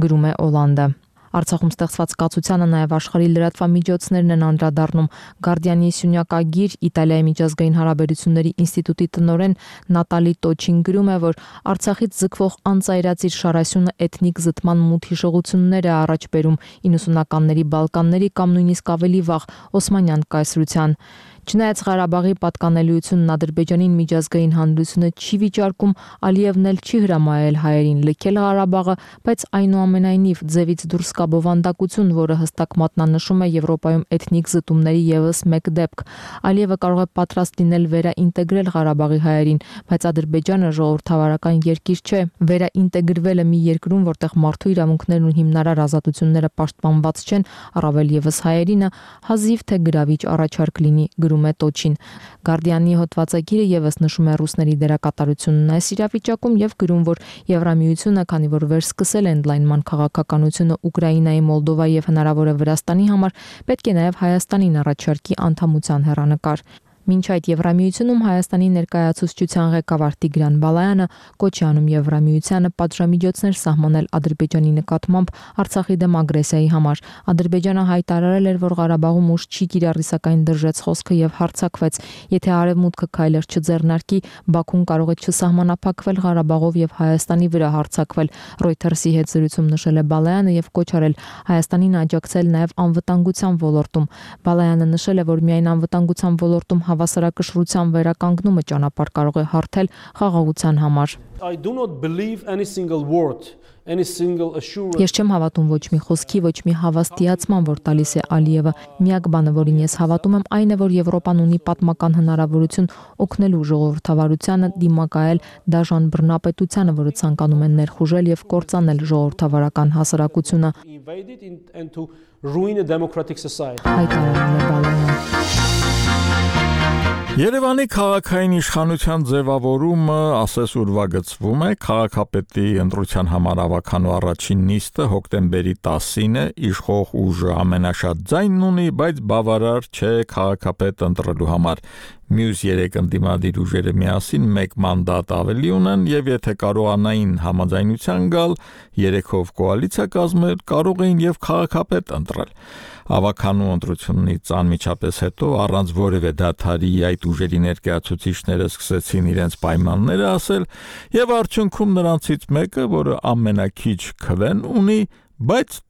գրում է Օլանդը։ Արցախում ստեղծված կացությանը նաև աշխարհի լրատվամիջոցներն են անդրադառնում։ Գարդիանի սյունյակագիր Իտալիայի միջազգային հարաբերությունների ինստիտուտի տնօրեն Նատալի Տոչին գրում է, որ Արցախից զգվող անծայրածիր շարասյունը էթնիկ զտման մութ հիշողություններ է առաջ բերում 90-ականների Բալկանների կամ նույնիսկ ավելի վաղ Օսմանյան կայսրության։ Չնայած Ղարաբաղի պատկանելիությունն Ադրբեջանին միջազգային հանրությունը չի վիճարկում, Ալիևն էլ չի հրամայել հայերին լքել Ղարաբաղը, բայց այնուամենայնիվ ձևից դուրս կա բովանդակություն, որը հստակ մատնանշում է Եվրոպայում էթնիկ զտումների եւս մեկ դեպք։ Ալիևը կարող է պատրաստ լինել վերաինտեգրել Ղարաբաղի հայերին, բայց Ադրբեջանը ժողովրդավարական երկիր չէ։ Վերաինտեգրվելը մի երկրում, որտեղ մարդու իրավունքներն ու հիմնարար ազատությունները պաշտպանված չեն, առավել եւս հայերինը, հազիվ թե գրավիչ առաջարկ լինի, գրում է Տոչին։ Գարդիանի հոդվածագիրը եւս նշում է ռուսների դերակատարությունն այս իրավիճակում եւ գրում, որ Եվրամիությունը, քանի որ վերսկսել է ընդլայնման քաղաքականությունը Ուկրաինայի, Մոլդովայի եւ հնարավոր է Վրաստանի համար, պետք է նաեւ Հայաստանին առաջարկի անդամության հեռանկար։ Մինչ այդ Եվրամիությունում Հայաստանի ներկայացուցչության ղեկավար Տիգրան Բալայանը կոչ է անում Եվրամիությանը պատժամիջոցներ սահմանել Ադրբեջանի նկատմամբ Արցախի դեմ ագրեսիայի համար։ Ադրբեջանը հայտարարել էր, որ Ղարաբաղում ուժ չի կիրառի, սակայն դրժեց խոսքը եւ հարձակվեց։ Եթե Արևմուտքը քայլեր չձեռնարկի, Բաքուն կարող է չսահմանափակվել Ղարաբաղով եւ Հայաստանի վրա հարձակվել։ Reuters-ի հետ զրույցում նշել է Բալայանը եւ կոչ արել Հայաստանին աջակցել նաեւ անվտանգության ոլորտում։ Բալայանը նշել է, որ միայն անվտանգության ոլորտում հավասարակշռության վերականգնումը ճանապարհ կարող է հարթել խաղաղության համար։ Ես չեմ հավատում ոչ մի խոսքի, ոչ մի հավաստիացման, որ տալիս է Ալիևը։ Միակ բանը, որին ես հավատում եմ, այն է, որ Եվրոպան ունի պատմական հնարավորություն օգնելու ժողովրդավարությանը դիմակայել դաժան բռնապետությանը, որը ցանկանում է ներխուժել եւ կործանել ժողովրդավարական հասարակությունը։ Երևանի քաղաքային իշխանության ձևավորումը ասես ուրվագծվում է, քաղաքապետի ընտրության համար ավականու առաջին նիստը հոկտեմբերի 10-ին է, իշխող ուժը ամենաշատ ձայնն ունի, բայց բավարար չէ քաղաքապետ ընտրելու համար։ Մյուս 3 ընդդիմադիր ուժերը միասին 1 մանդատ ավելի ունեն եւ եթե կարողանային համաձայնության գալ 3-ով կոալիցիա կազմել, կարող էին եւ քաղաքապետ ընտրել։ Ավականու ընտրությունից անմիջապես հետո առանց որևէ դադարի այդ ուժերի ներկայացուցիչները սկսեցին իրենց պայմանները ասել եւ արդյունքում նրանցից մեկը, որը ամենակիչ քվեն ունի, բայց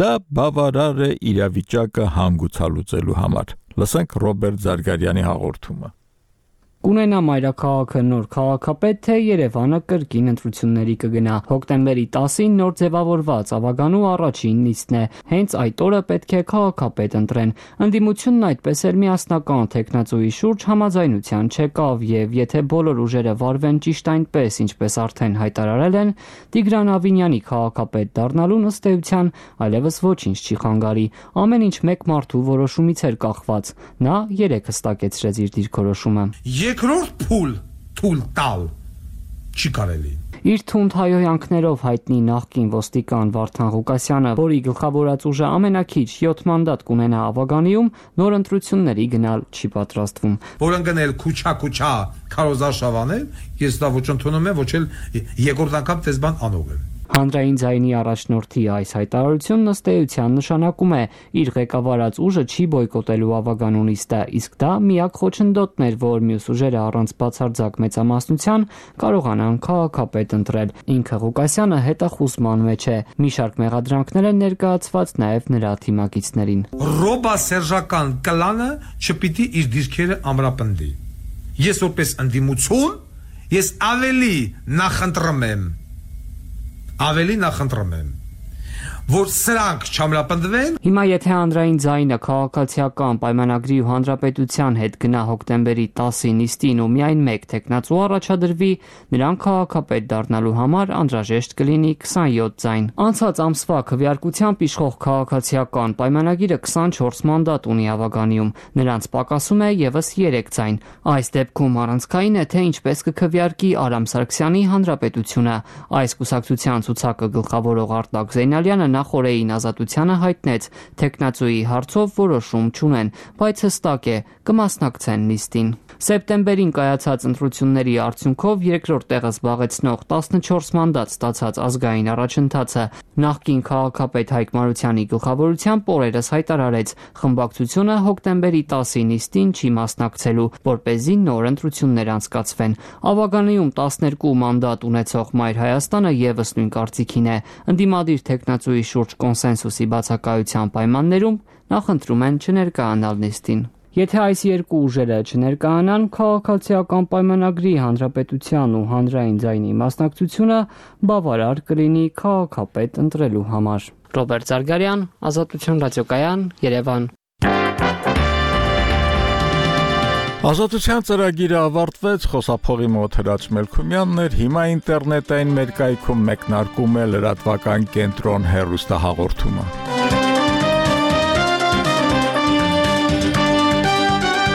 դա բավարար է իրավիճակը հանգուցալուծելու համար։ Լսենք Ռոբերտ Զարգարյանի հաղորդումը։ Կունենա մայրաքաղաքը նոր քաղաքապետ, թե Երևանը կրկին ընտրությունների կգնա։ Հոկտեմբերի 10-ին նոր ձևավորված ավականու առաջին նիստն է։ Հենց այդ օրը պետք է քաղաքապետ ընտրեն։ Ընդդիմությունն այդպես էլ միասնական թեկնածուի շուրջ համաձայնության չեկավ եւ եթե բոլոր ուժերը վարվեն ճիշտ այնպես, ինչպես արդեն հայտարարել են, Տիգրան Ավինյանի քաղաքապետ դառնալուն ըստ էության այլևս ոչինչ չի խանգարի։ Ամեն ինչ մեկ մարդու որոշումից էր կախված։ Նա 3 հստակեցրեց իր դիրքորոշումը։ Երկրորդ թույլ տալ չի կարելի։ Իր թունդ հայոյանքներով հայտնի նախկին ոստիկան Վարդան Ղուկասյանը, որի գլխավորած ուժը ամենակիչ 7 մանդատ կունենա ավականիում, նոր ընտրությունների գնալ չի պատրաստվում։ Որ ընկնել քուչա քարոզարշավանել, ես դա ոչ ընդունում եմ, ոչ էլ երկրորդ անգամ տես բան անող եմ։ Հանրային ձայնի առաջնորդի այս հայտարարությունն ըստ էության նշանակում է իր ղեկավարած ուժը չի բոյկոտելու ավագանուն նիստը, իսկ դա միակ խոչընդոտն էր, որ մյուս ուժերը առանց բացարձակ մեծամասնության կարողանան քաղաքապետ ընտրել։ Ինքը Ղուկասյանը հետախուզման մեջ է։ Մի շարք մեղադրանքներ են ներկայացված նաև նրա թիմակիցներին։ Ռոբասերժական կլանը չպիտի իր դիրքերը ամրապնդի։ Ես որպես ընդդիմություն, ես ավելի նախընտրում եմ, որ սրանք չամրապնդվեն։ Հիմա եթե հանրային ձայնը քաղաքացիական պայմանագրի ու հանրապետության հետ գնա հոկտեմբերի 10-ի նիստին ու միայն մեկ թեկնածու առաջադրվի, նրան քաղաքապետ դառնալու համար անհրաժեշտ կլինի 27 ձայն։ Անցած ամսվա քվեարկությամբ իշխող քաղաքացիական պայմանագիրը 24 մանդատ ունի ավագանիում, նրանց պակասում է եւս 3 ձայն։ Այս դեպքում առանցքային է, թե ինչպես կքվեարկի Արամ Սարգսյանի հանրապետությունը։ Այս կուսակցության ցուցակը գլխավորող Արտակ Զեյնալյանը նախորդին Ազատությանը հայտնեց թեկնածուի հարցով որոշում չունեն, բայց հստակ է կմասնակցեն նիստին։ Սեպտեմբերին կայացած ընտրությունների արդյունքով երկրորդ տեղը զբաղեցնող 14 մանդատ ստացած ազգային առաջընթացը նախկին քաղաքապետ Հայկ Մարությանի գլխավորությամբ օրերս հայտարարեց խմբակցությունը հոկտեմբերի 10-ի նիստին չի մասնակցելու, որպեսզի նոր ընտրություններ անցկացվեն։ Ավագանիում 12 մանդատ ունեցող Մայր Հայաստանը եւս նույն կարծիքին է։ Ընդդիմադիր թեկնածուի շուրջ կոնսենսուսի բացակայության պայմաններում նախընտրում են չներկայանալ նիստին։ Եթե այս երկու ուժերը չներկայանան, քաղաքացիական պայմանագրի հանրապետության ու հանրային ձայնի մասնակցությունը բավարար կլինի քաղաքապետ ընտրելու համար։ Ռոբերտ Զարգարյան, Ազատություն ռադիոկայան, Երևան։ Ազատության ծրագիրը ավարտվեց, խոսափողի մոտ Հրաչ Մելքումյանն էր, հիմա ինտերնետային մեր կայքում մեկնարկում է լրատվական կենտրոն հեռուստահաղորդումը։